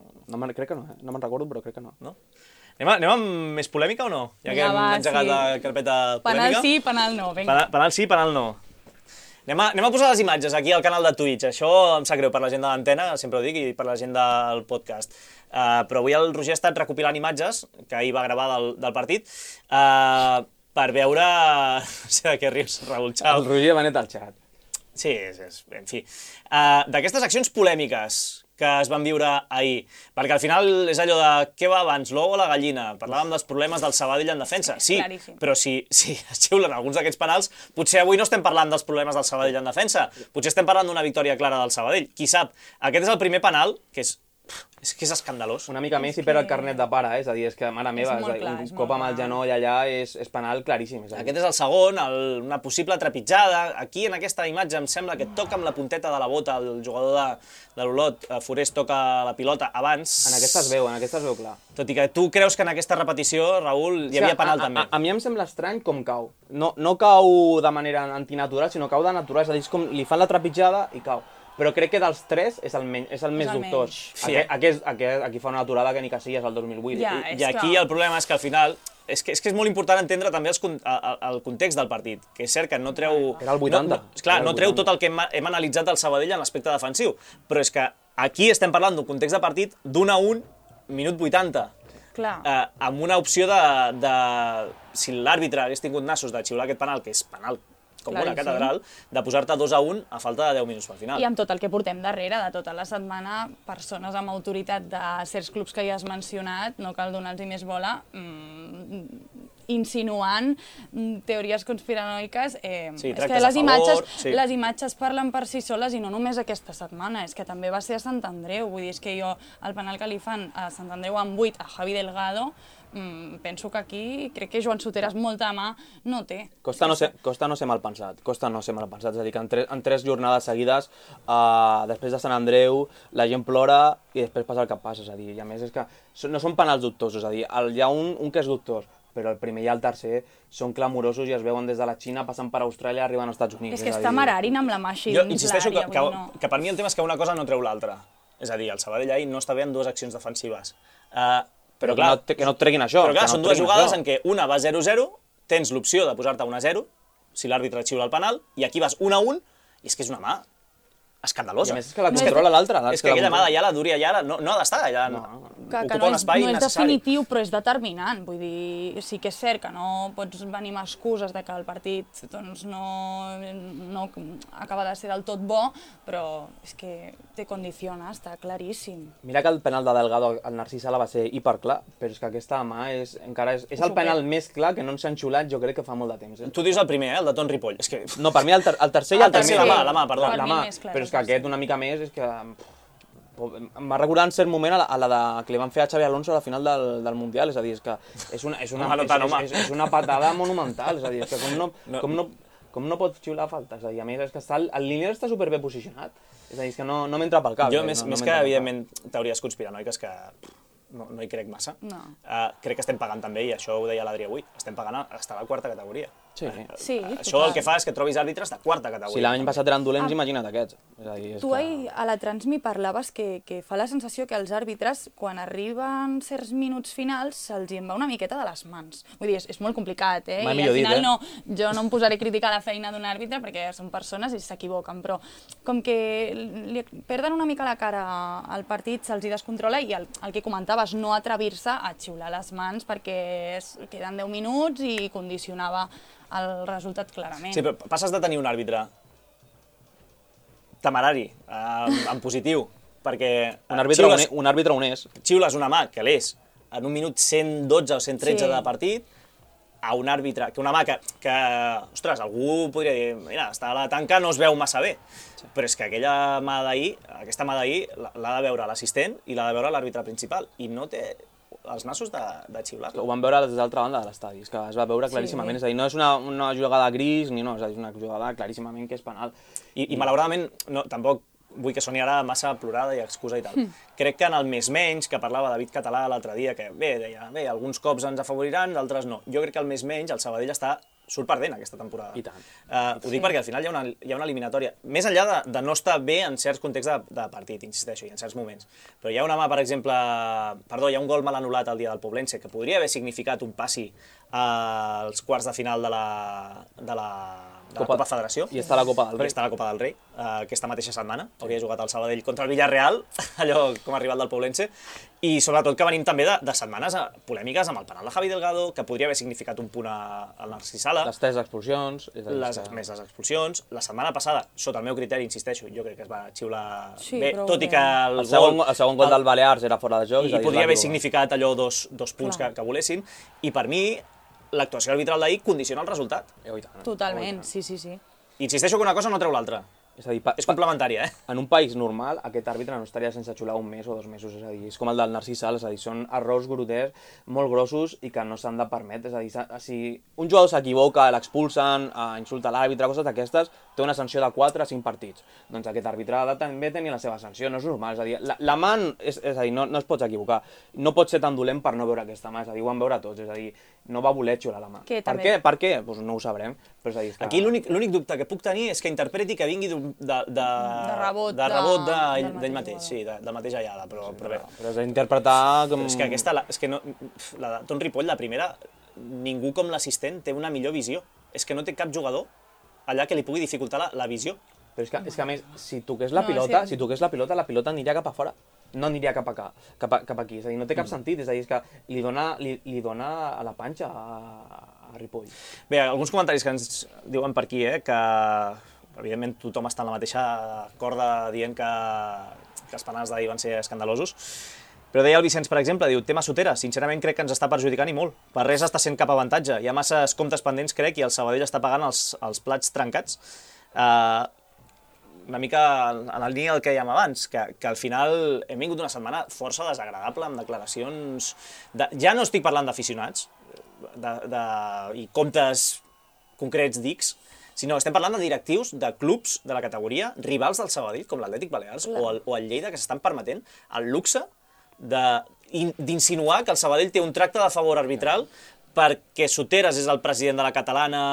Crec que no, no me'n recordo, però crec que no. Anem amb més polèmica o no? Ja que hem engegat la carpeta polèmica. Penal sí, penal no, vinga. Penal sí, penal no. Anem a posar les imatges aquí al canal de Twitch. Això em sap greu per la gent de l'antena, sempre ho dic, i per la gent del podcast. Però avui el Roger ha estat recopilant imatges que ahir va gravar del partit per veure... No sé de què rius, Raúl Chao. El Roger va net al xat. Sí, en fi. D'aquestes accions polèmiques que es van viure ahir, perquè al final és allò de què va abans, l'ou o la gallina? Parlàvem dels problemes del Sabadell en defensa, sí, però si es xiulen alguns d'aquests penals, potser avui no estem parlant dels problemes del Sabadell en defensa, potser estem parlant d'una victòria clara del Sabadell, qui sap. Aquest és el primer penal, que és escandalós. Una mica més i perd el carnet de pare, és a dir, és que mare meva, un cop amb el genoll allà és penal claríssim. Aquest és el segon, una possible trepitjada. Aquí en aquesta imatge em sembla que toca amb la punteta de la bota, el jugador de l'Olot, Forés, toca la pilota abans. En aquesta es veu clar. Tot i que tu creus que en aquesta repetició, Raül, hi havia penal també. A mi em sembla estrany com cau. No cau de manera antinatural, sinó cau de natural, és a dir, és com li fan la trepitjada i cau. Però crec que dels 3 és el més dubtós. Aquí fa una aturada que ni que sigui és el 2008. I aquí el problema és que al final... És que és molt important entendre també el context del partit, que és cert que no treu... Era el 80. Clar, no treu tot el que hem analitzat del Sabadell en l'aspecte defensiu, però és que aquí estem parlant d'un context de partit d'1-1, minut 80. amb una opció de si l'àrbitre hagués tingut nassos de xiular aquest penal, que és penal com una catedral, de posar-te 2-1 a falta de 10 minuts pel final. I amb tot el que portem darrere, de tota la setmana, persones amb autoritat de certs clubs que ja has mencionat, no cal donar-los més bola, insinuant teories conspiranoiques. És que les imatges parlen per si soles i no només aquesta setmana, és que també va ser a Sant Andreu. Vull dir, és que jo, el penal que li fan a Sant Andreu amb 8 a Javi Delgado, penso que aquí crec que Joan Soteras molta mà no té. Costa no ser mal pensat, és a dir, que en 3 jornades seguides, després de Sant Andreu, la gent plora i després passa el que passa, és a dir, i a més és que no són penals dubtosos, és a dir, hi ha un que és dubtós, però el primer i el tercer són clamorosos i es veuen des de la Xina, passen per Austràlia, arriben als Estats Units. És que està Mararin amb la mà així dins l'àrea. Jo insisteixo que per mi el tema és que una cosa no treu l'altra. És a dir, el Sabadell ahir no està bé en 2 accions defensives. Però clar, que no et treguin això. Però clar, són 2 jugades en què una va 0-0, tens l'opció de posar-te 1-0, si l'àrbitre xiula el penal, i aquí vas 1-1, i és que és una mà escandalosa. I a més és que la controla l'altre. És que aquella mà d'Ayala, duri Ayala, no ha d'estar allà, ocupa un espai necessari. No és definitiu, però és determinant. Vull dir, sí que és cert que no pots venir amb excuses de que el partit no acaba de ser del tot bo, però és que te condiciona, està claríssim. Mira que el penal de Delgado al Narcís Sala va ser hiperclar, però és que aquesta mà és el penal més clar que no ens han xulat jo crec que fa molt de temps. Tu dius el primer, el de Ton Ripoll. No, per mi el tercer i el primer. La mà, perdó. Però és que aquest una mica més és que em va recordar en cert moment a la que li van fer a Xavi Alonso a la final del Mundial, és a dir, és que és una patada monumental, és a dir, és que com no pot xiular falta, és a dir, a més és que el línia està superbé posicionat, és a dir, és que no m'entra pel cap. Jo, més que evidentment teories conspiranoiques que no hi crec massa, crec que estem pagant també, i això ho deia l'Adri avui, estem pagant a estar a la 4a categoria. Això el que fa és que trobis àrbitres de 4a categoria. Si l'any passat eren dolents, imagina't aquests. Tu ahir a la Transmi parlaves que fa la sensació que els àrbitres, quan arriben certs minuts finals, se'ls en va una miqueta de les mans. Vull dir, és molt complicat, i al final jo no em posaré a criticar la feina d'un àrbitre perquè són persones i s'equivoquen, però com que li perden una mica la cara al partit, se'ls hi descontrola, i el que comentaves, no atrevir-se a xiular les mans perquè queden 10 minuts i condicionava el resultat clarament. Sí, però passes de tenir un àrbitre temerari, en positiu, perquè un àrbitre honest. Xiules una mà, que l'és, en un minut 112 o 113 de partit, a un àrbitre, que una mà que, ostres, algú podria dir, mira, està a la tanca, no es veu massa bé, però és que aquesta mà d'ahir l'ha de veure l'assistent i l'ha de veure l'àrbitre principal, i no té els nassos de xiular-lo. Ho van veure des de l'altra banda de l'estadi, és que es va veure claríssimament, és a dir, no és una jugada gris, ni no, és una jugada claríssimament que és penal. I malauradament, tampoc vull que soni ara massa plorada i excusa i tal. Crec que en el més menys, que parlava David Català l'altre dia, que deia, alguns cops ens afavoriran, d'altres no. Jo crec que el més menys, el Sabadell surt perdent aquesta temporada. I tant. Ho dic perquè al final hi ha una eliminatòria. Més enllà de no estar bé en certs contexts de partit, insisteixo, i en certs moments. Però hi ha una mà, per exemple... hi ha un gol mal anul·lat el dia del Poblense, que podria haver significat un passi als quarts de final de la Copa Federació. I està a la Copa del Rei. I està a la Copa del Rei, aquesta mateixa setmana. Hauria jugat el Sabadell contra el Villarreal, allò com a rival del Poblense. I sobretot que venim també de setmanes polèmiques amb el penal de Javi Delgado, que podria haver significat un punt al Narcís Sala. Les 3 expulsions. Més les expulsions. La setmana passada, sota el meu criteri, insisteixo, jo crec que es va xiular bé, tot i que el segon gol del Balears era fora de joc. I podria haver significat allò dos punts que volessin. I per mi, l'actuació arbitral d'ahir condiciona el resultat. Totalment, sí. Insisteixo que una cosa no treu l'altra. És complementària, En un país normal, aquest àrbitre no estaria sense xular un mes o 2 mesos, és a dir, és com el del Narcís Sala, és a dir, són errors grotescs, molt grossos i que no s'han de permetre, és a dir, si un jugador s'equivoca, l'expulsen, insulta l'àrbitre, coses d'aquestes, té una sanció de 4 a 5 partits. Doncs aquest àrbitre ha de també tenir la seva sanció, no és normal, és a dir, la mà, és a dir, no es pots equivocar, no pot ser tan dolent per no veure aquesta mà, és a dir, ho van veure tots, és a dir, no va voler xular la mà. Per què? Doncs no ho sabrem. Aquí l'únic dubte que puc tenir és que interpreti que vingui de rebot d'ell mateix, sí, del mateix Ayala, però bé. Però és d'interpretar com... És que aquesta, la de Ton Ripoll, la primera, ningú com l'assistent té una millor visió. És que no té cap jugador allà que li pugui dificultar la visió. Però és que a més, si toqués la pilota, la pilota aniria cap a fora. no aniria cap aquí. És a dir, no té cap sentit, és a dir, és que li dona a la panxa a Ripoll. Bé, alguns comentaris que ens diuen per aquí, que evidentment tothom està en la mateixa corda dient que els penals d'ahir van ser escandalosos. Però deia el Vicenç, per exemple, diu, tema Sotera, sincerament crec que ens està perjudicant i molt. Per res està sent cap avantatge. Hi ha masses comptes pendents, crec, i el Sabadell està pagant els plats trencats. Una mica en la línia del que dèiem abans, que al final hem vingut una setmana força desagradable, amb declaracions... Ja no estic parlant d'aficionats i comptes concrets dics, sinó estem parlant de directius de clubs de la categoria, rivals del Sabadell, com l'Atlètic Balears o el Lleida, que s'estan permetent el luxe d'insinuar que el Sabadell té un tracte de favor arbitral perquè Soteras és el president de la catalana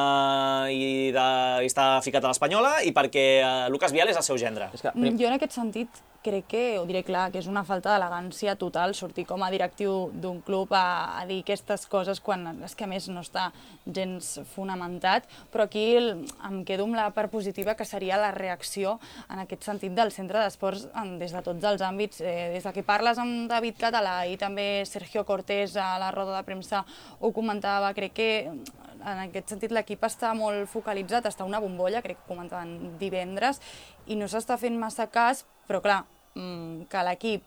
i està ficat a l'Espanyola i perquè Lucas Vial és el seu gendre. Jo en aquest sentit crec que, ho diré clar, que és una falta d'elegància total sortir com a directiu d'un club a dir aquestes coses quan és que a més no està gens fonamentat, però aquí em quedo amb la part positiva que seria la reacció en aquest sentit del centre d'esports des de tots els àmbits, des de que parles amb David Català i també Sergio Cortés a la roda de premsa ho comentava, crec que en aquest sentit l'equip està molt focalitzat, està una bombolla, crec que comentaven divendres, i no s'està fent massa cas, però clar, que l'equip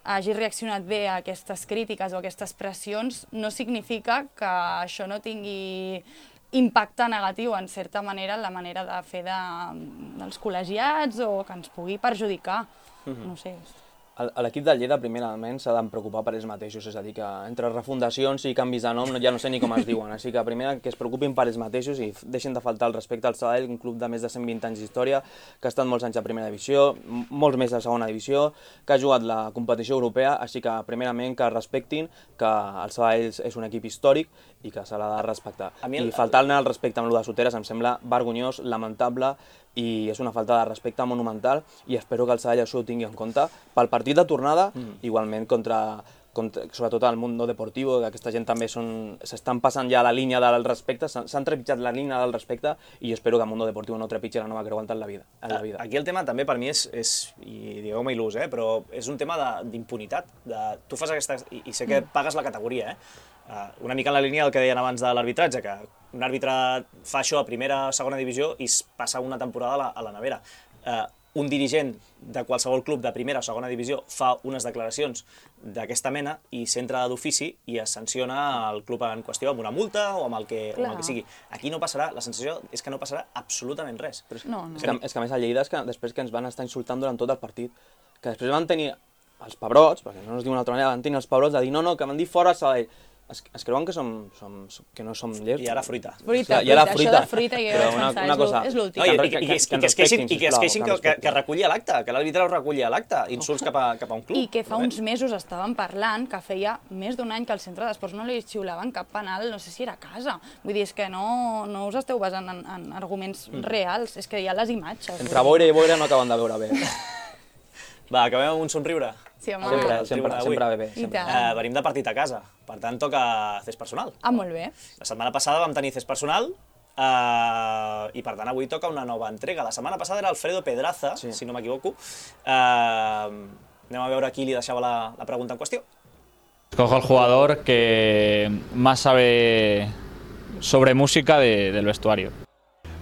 hagi reaccionat bé a aquestes crítiques o aquestes pressions no significa que això no tingui impacte negatiu, en certa manera, en la manera de fer dels col·legiats o que ens pugui perjudicar, no sé. L'equip del Lleida, primerament, s'ha de preocupar per ells mateixos, és a dir, que entre refundacions i canvis de nom ja no sé ni com es diuen, així que primer que es preocupin per ells mateixos i deixin de faltar el respecte al Sabadell, un club de més de 120 anys d'història, que ha estat molts anys a primera divisió, molts més a segona divisió, que ha jugat la competició europea, així que primerament que respectin que el Sabadell és un equip històric i que se l'ha de respectar. I faltar-ne el respecte amb el de Soteras em sembla vergonyós, lamentable, i és una falta de respecte monumental i espero que el Sabadell això ho tingui en compte pel partit de tornada, igualment contra sobretot el Mundo Deportivo, que aquesta gent també s'estan passant ja la línia del respecte, s'han trepitjat la línia del respecte i jo espero que el Mundo Deportivo no trepitgi la nova creuanta en la vida. Aquí el tema també per mi és i digueu-me il·lús, però és un tema d'impunitat. Tu fas aquesta... i sé que pagues la categoria, una mica en la línia del que deien abans de l'arbitratge, que un àrbitre fa això a primera o segona divisió i es passa una temporada a la nevera. Un dirigent de qualsevol club de primera o segona divisió fa unes declaracions d'aquesta mena i s'entra d'ofici i es sanciona el club en qüestió amb una multa o amb el que sigui. Aquí no passarà, la sensació és que no passarà absolutament res. És que a més a Lleida és que després que ens van estar insultant durant tot el partit, que després van tenir els pebrots, perquè no es diu una altra manera, van tenir els pebrots de dir no, que van dir fora Sabadell. Es creuen que no som llers. I ara fruita. Fruita, això de fruita jo vaig pensar, és l'últim. I que es queixin que reculli a l'acte, que l'àrbitre ho reculli a l'acte, insults cap a un club. I que fa uns mesos estàvem parlant que feia més d'un any que al centre d'esports no li xiulaven cap penal, no sé si era a casa. Vull dir, és que no us esteu basant en arguments reals, és que hi ha les imatges. Entre boira i boira no acaben de veure bé. Va, acabem amb un somriure. Sí, home. Sempre bé. Venim de partit a casa, per tant toca cés personal. Molt bé. La setmana passada vam tenir cés personal i per tant avui toca una nova entrega. La setmana passada era Alfredo Pedraza, si no m'equivoco. Anem a veure qui li deixava la pregunta en qüestió. Escojo al jugador que más sabe sobre música del vestuario.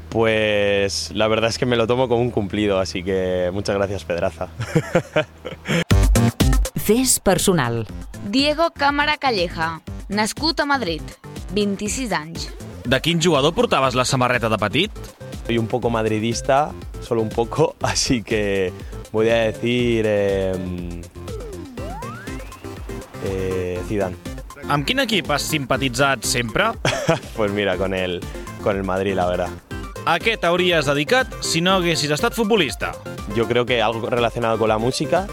Pues la verdad es que me lo tomo como un cumplido, así que muchas gracias, Pedraza. Cés personal. Diego Cámara Calleja, nascut a Madrid, 26 anys. De quin jugador portaves la samarreta de petit? Soy un poco madridista, solo un poco, así que voy a decir Zidane. Amb quin equip has simpatitzat sempre? Pues mira, con el Madrid, la verdad. ¿A qué te habrías dedicado si no hubieses estado futbolista? Yo creo que algo relacionado con la música,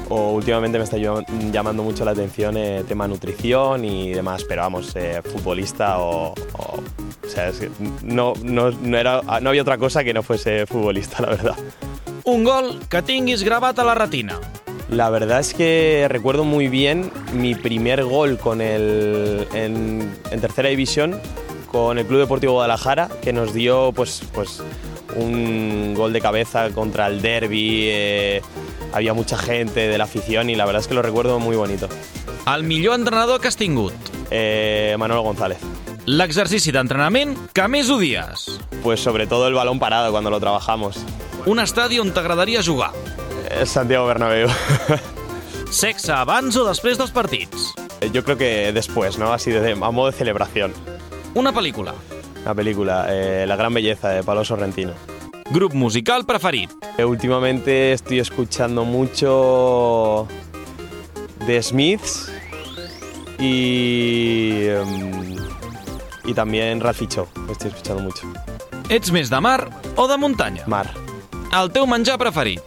o últimamente me está llamando mucho la atención tema nutrición y demás, pero vamos, futbolista o sea, es que no había otra cosa que no fuese futbolista, la verdad. Un gol que tinguis gravat a la retina. La verdad es que recuerdo muy bien mi primer gol en tercera división con el Club Deportivo Guadalajara, que nos dio pues un gol de cabeza contra el derbi, había mucha gente de la afición y la verdad es que lo recuerdo muy bonito. El millor entrenador que has tingut? Manolo González. L'exercici d'entrenament que més odies? Pues sobre todo el balón parado cuando lo trabajamos. Un estadi on t'agradaria jugar? Santiago Bernabéu. Sexe abans o després dels partits? Yo creo que después, ¿no? Así a modo de celebración. Una pel·lícula? Una película, La gran belleza, de Pablo Sorrentino. Grup musical preferit? Últimamente estoy escuchando mucho The Smiths y también Ralphie Shaw, estoy escuchando mucho. Ets més de mar o de muntanya? Mar. El teu menjar preferit?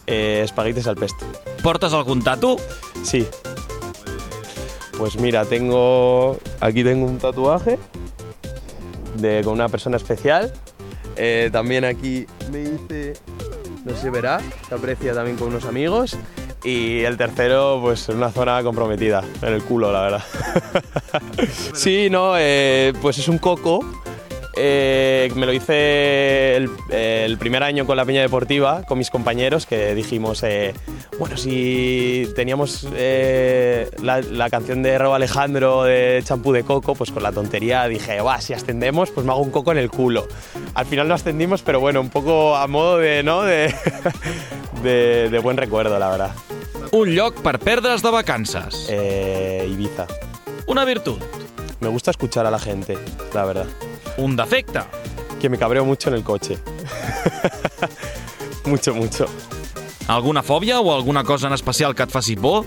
Espaguetis al pesto. Portes algun tatu? Sí. Pues mira, aquí tengo un tatuaje con una persona especial. También aquí me hice, no se verá, se aprecia también con unos amigos. Y el tercero, pues en una zona comprometida, en el culo, la verdad. Sí, no, pues es un coco. Me lo hice el primer año con la Peña Deportiva, con mis compañeros, que dijimos, bueno, si teníamos la canción de Raúl Alejandro de Champú de Coco, pues con la tontería dije, si ascendemos, pues me hago un coco en el culo. Al final no ascendimos, pero bueno, un poco a modo de, ¿no? de buen recuerdo, la verdad. Un lloc per perdre's de vacances? Ibiza. Una virtud? Me gusta escuchar a la gente, la verdad. Un defecte? Que me cabreo mucho en el coche. Mucho. Alguna fòbia o alguna cosa en especial que et faci por?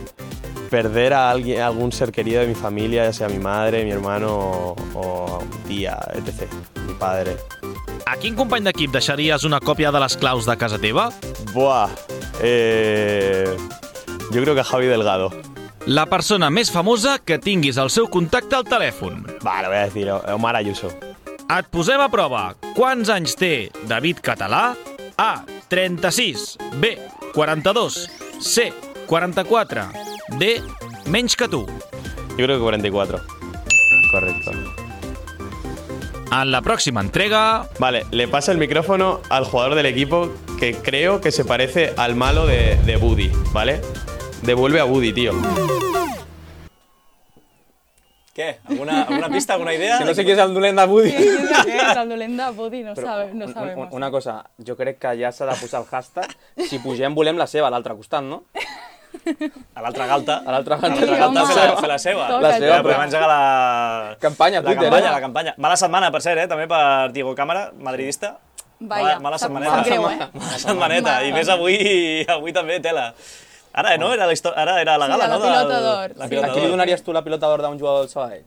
Perder a algún ser querido de mi familia, ya sea mi madre, mi hermano o mi tía, etc. Mi padre. A quin company d'equip deixaries una còpia de les claus de casa teva? Buah, yo creo que a Javi Delgado. La persona més famosa que tinguis el seu contacte al telèfon? Va, lo voy a decir, Omar Ayuso. Et posem a prova. Quants anys té David Català? A, 36. B, 42. C, 44. D, menys que tu. Yo creo que 44. Correcto. En la próxima entrega... Vale, le pasa el micrófono al jugador del equipo que creo que se parece al malo de Woody, ¿vale? Devuelve a Woody, tío. Què? Alguna pista, alguna idea? Que no sé qui és el dolent de Woody. Sí, és el dolent de Woody, no sabem. Una cosa, jo crec que ja s'ha de posar el hashtag. Si pugem, volem la seva, a l'altre costat, no? A l'altra galta. A l'altra galta. Fer la seva. La seva, però... Podem engegar la... Campanya, Twitter. La campanya. Mala setmana, per cert, també per Diego Cámara, madridista. Mala setmaneta. Sap greu, Mala setmaneta. I més avui també, tela. Ara, no? Ara era la gala, no? La pilota d'or. A qui li donaries tu la pilota d'or d'un jugador del Sabadell?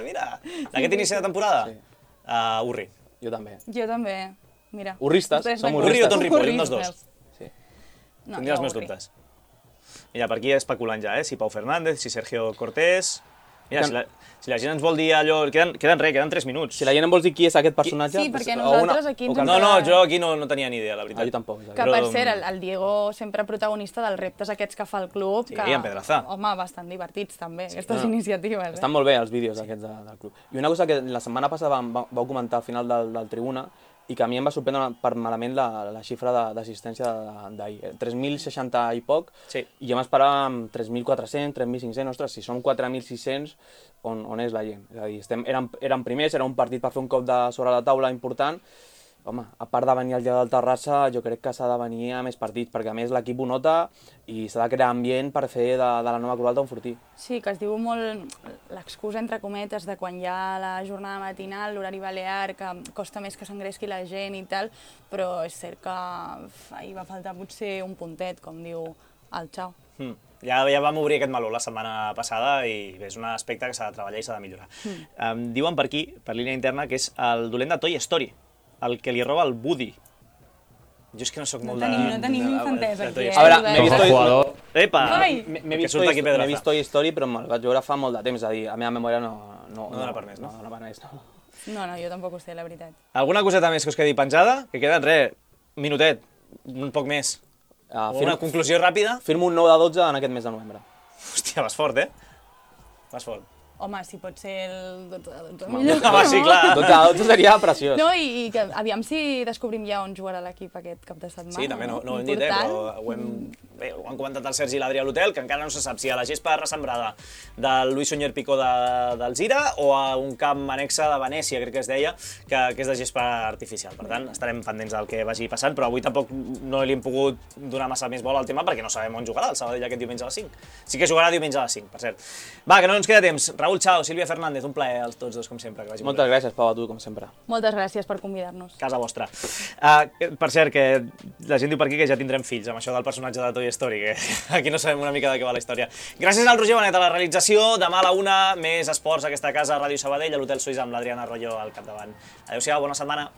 Mira, d'aquest inici de temporada? Urri. Jo també. Jo també, mira. Urristes, som urristes. Urri o Ton Ripoll, un dels dos. No, tindria els meus dubtes. Mira, per aquí especulant ja, si Pau Fernández, si Sergio Cortés... Mira, si la gent ens vol dir allò... Queden 3 minuts. Si la gent em vols dir qui és aquest personatge... Sí, perquè nosaltres aquí... No, jo aquí no tenia ni idea, la veritat. Jo tampoc. Que per cert, el Diego sempre protagonista dels reptes aquests que fa el club. Sí, en Pedraza. Home, bastant divertits també, aquestes iniciatives. Estan molt bé els vídeos aquests del club. I una cosa que la setmana passada vau comentar al final del Tribuna i que a mi em va sorprendre per malament la xifra d'assistència d'ahir. 3.060 i poc, i jo m'esperava amb 3.400, 3.500, ostres, si són 4.600, on és la gent? És a dir, érem primers, era un partit per fer un cop sobre la taula important. Home, a part de venir al dia del Terrassa, jo crec que s'ha de venir a més partits, perquè a més l'equip ho nota i s'ha de crear ambient per fer de la nova Corbalta un fortí. Sí, que es diu molt l'excusa, entre cometes, de quan hi ha la jornada matinal, l'horari balear, que costa més que s'engresqui la gent i tal, però és cert que ahir va faltar potser un puntet, com diu el Xau. Ja vam obrir aquest meló la setmana passada i és un aspecte que s'ha de treballar i s'ha de millorar. Diuen per aquí, per línia interna, que és el dolent de Toy Story, el que li roba el Woody. Jo és que no soc molt de... No tenim infantesa aquí, A veure, m'he vist Toy Story, però me'l vaig veure fa molt de temps, és a dir, la meva memòria no dona per més, no? No dona per més, no. No, jo tampoc ho sé, la veritat. Alguna coseta més que us quedi penjada? Que queden, minutet, un poc més. Una conclusió ràpida? Firmo un 9 de 12 en aquest mes de novembre. Hòstia, vas fort, Vas fort. home, si pot ser el 12 millor. Home, sí, clar. 12 seria preciós. No, i que aviam si descobrim ja on jugarà l'equip aquest cap de setmana. Sí, també no ho hem dit, però ho han comentat el Sergi i l'Adrià a l'hotel, que encara no se sap si a la gespa ressembrada del Luis Suñer Picó d'Alzira o a un camp anexa de Venècia, crec que es deia, que és de gespa artificial. Per tant, estarem pendents del que vagi passant, però avui tampoc no li hem pogut donar massa més bola al tema perquè no sabem on jugarà el Sabadell aquest diumenge a les 5. Sí que jugarà diumenge a les 5, per cert. Va, que no ens queda temps. Raül, xau, Sílvia Fernández, un plaer als tots dos, com sempre. Que vagi Moltes gràcies, Pau, a tu, com sempre. Moltes gràcies per convidar-nos. Casa vostra. Per cert, que la gent diu per aquí que ja tindrem fills amb això del personatge de Toy Story, que aquí no sabem una mica de què va la història. Gràcies al Roger Benet a la realització. Demà a la 1, més esports a aquesta casa, Ràdio Sabadell, a l'Hotel Suïssa amb l'Adriana Arroyo al capdavant. Adéu-siau, bona setmana.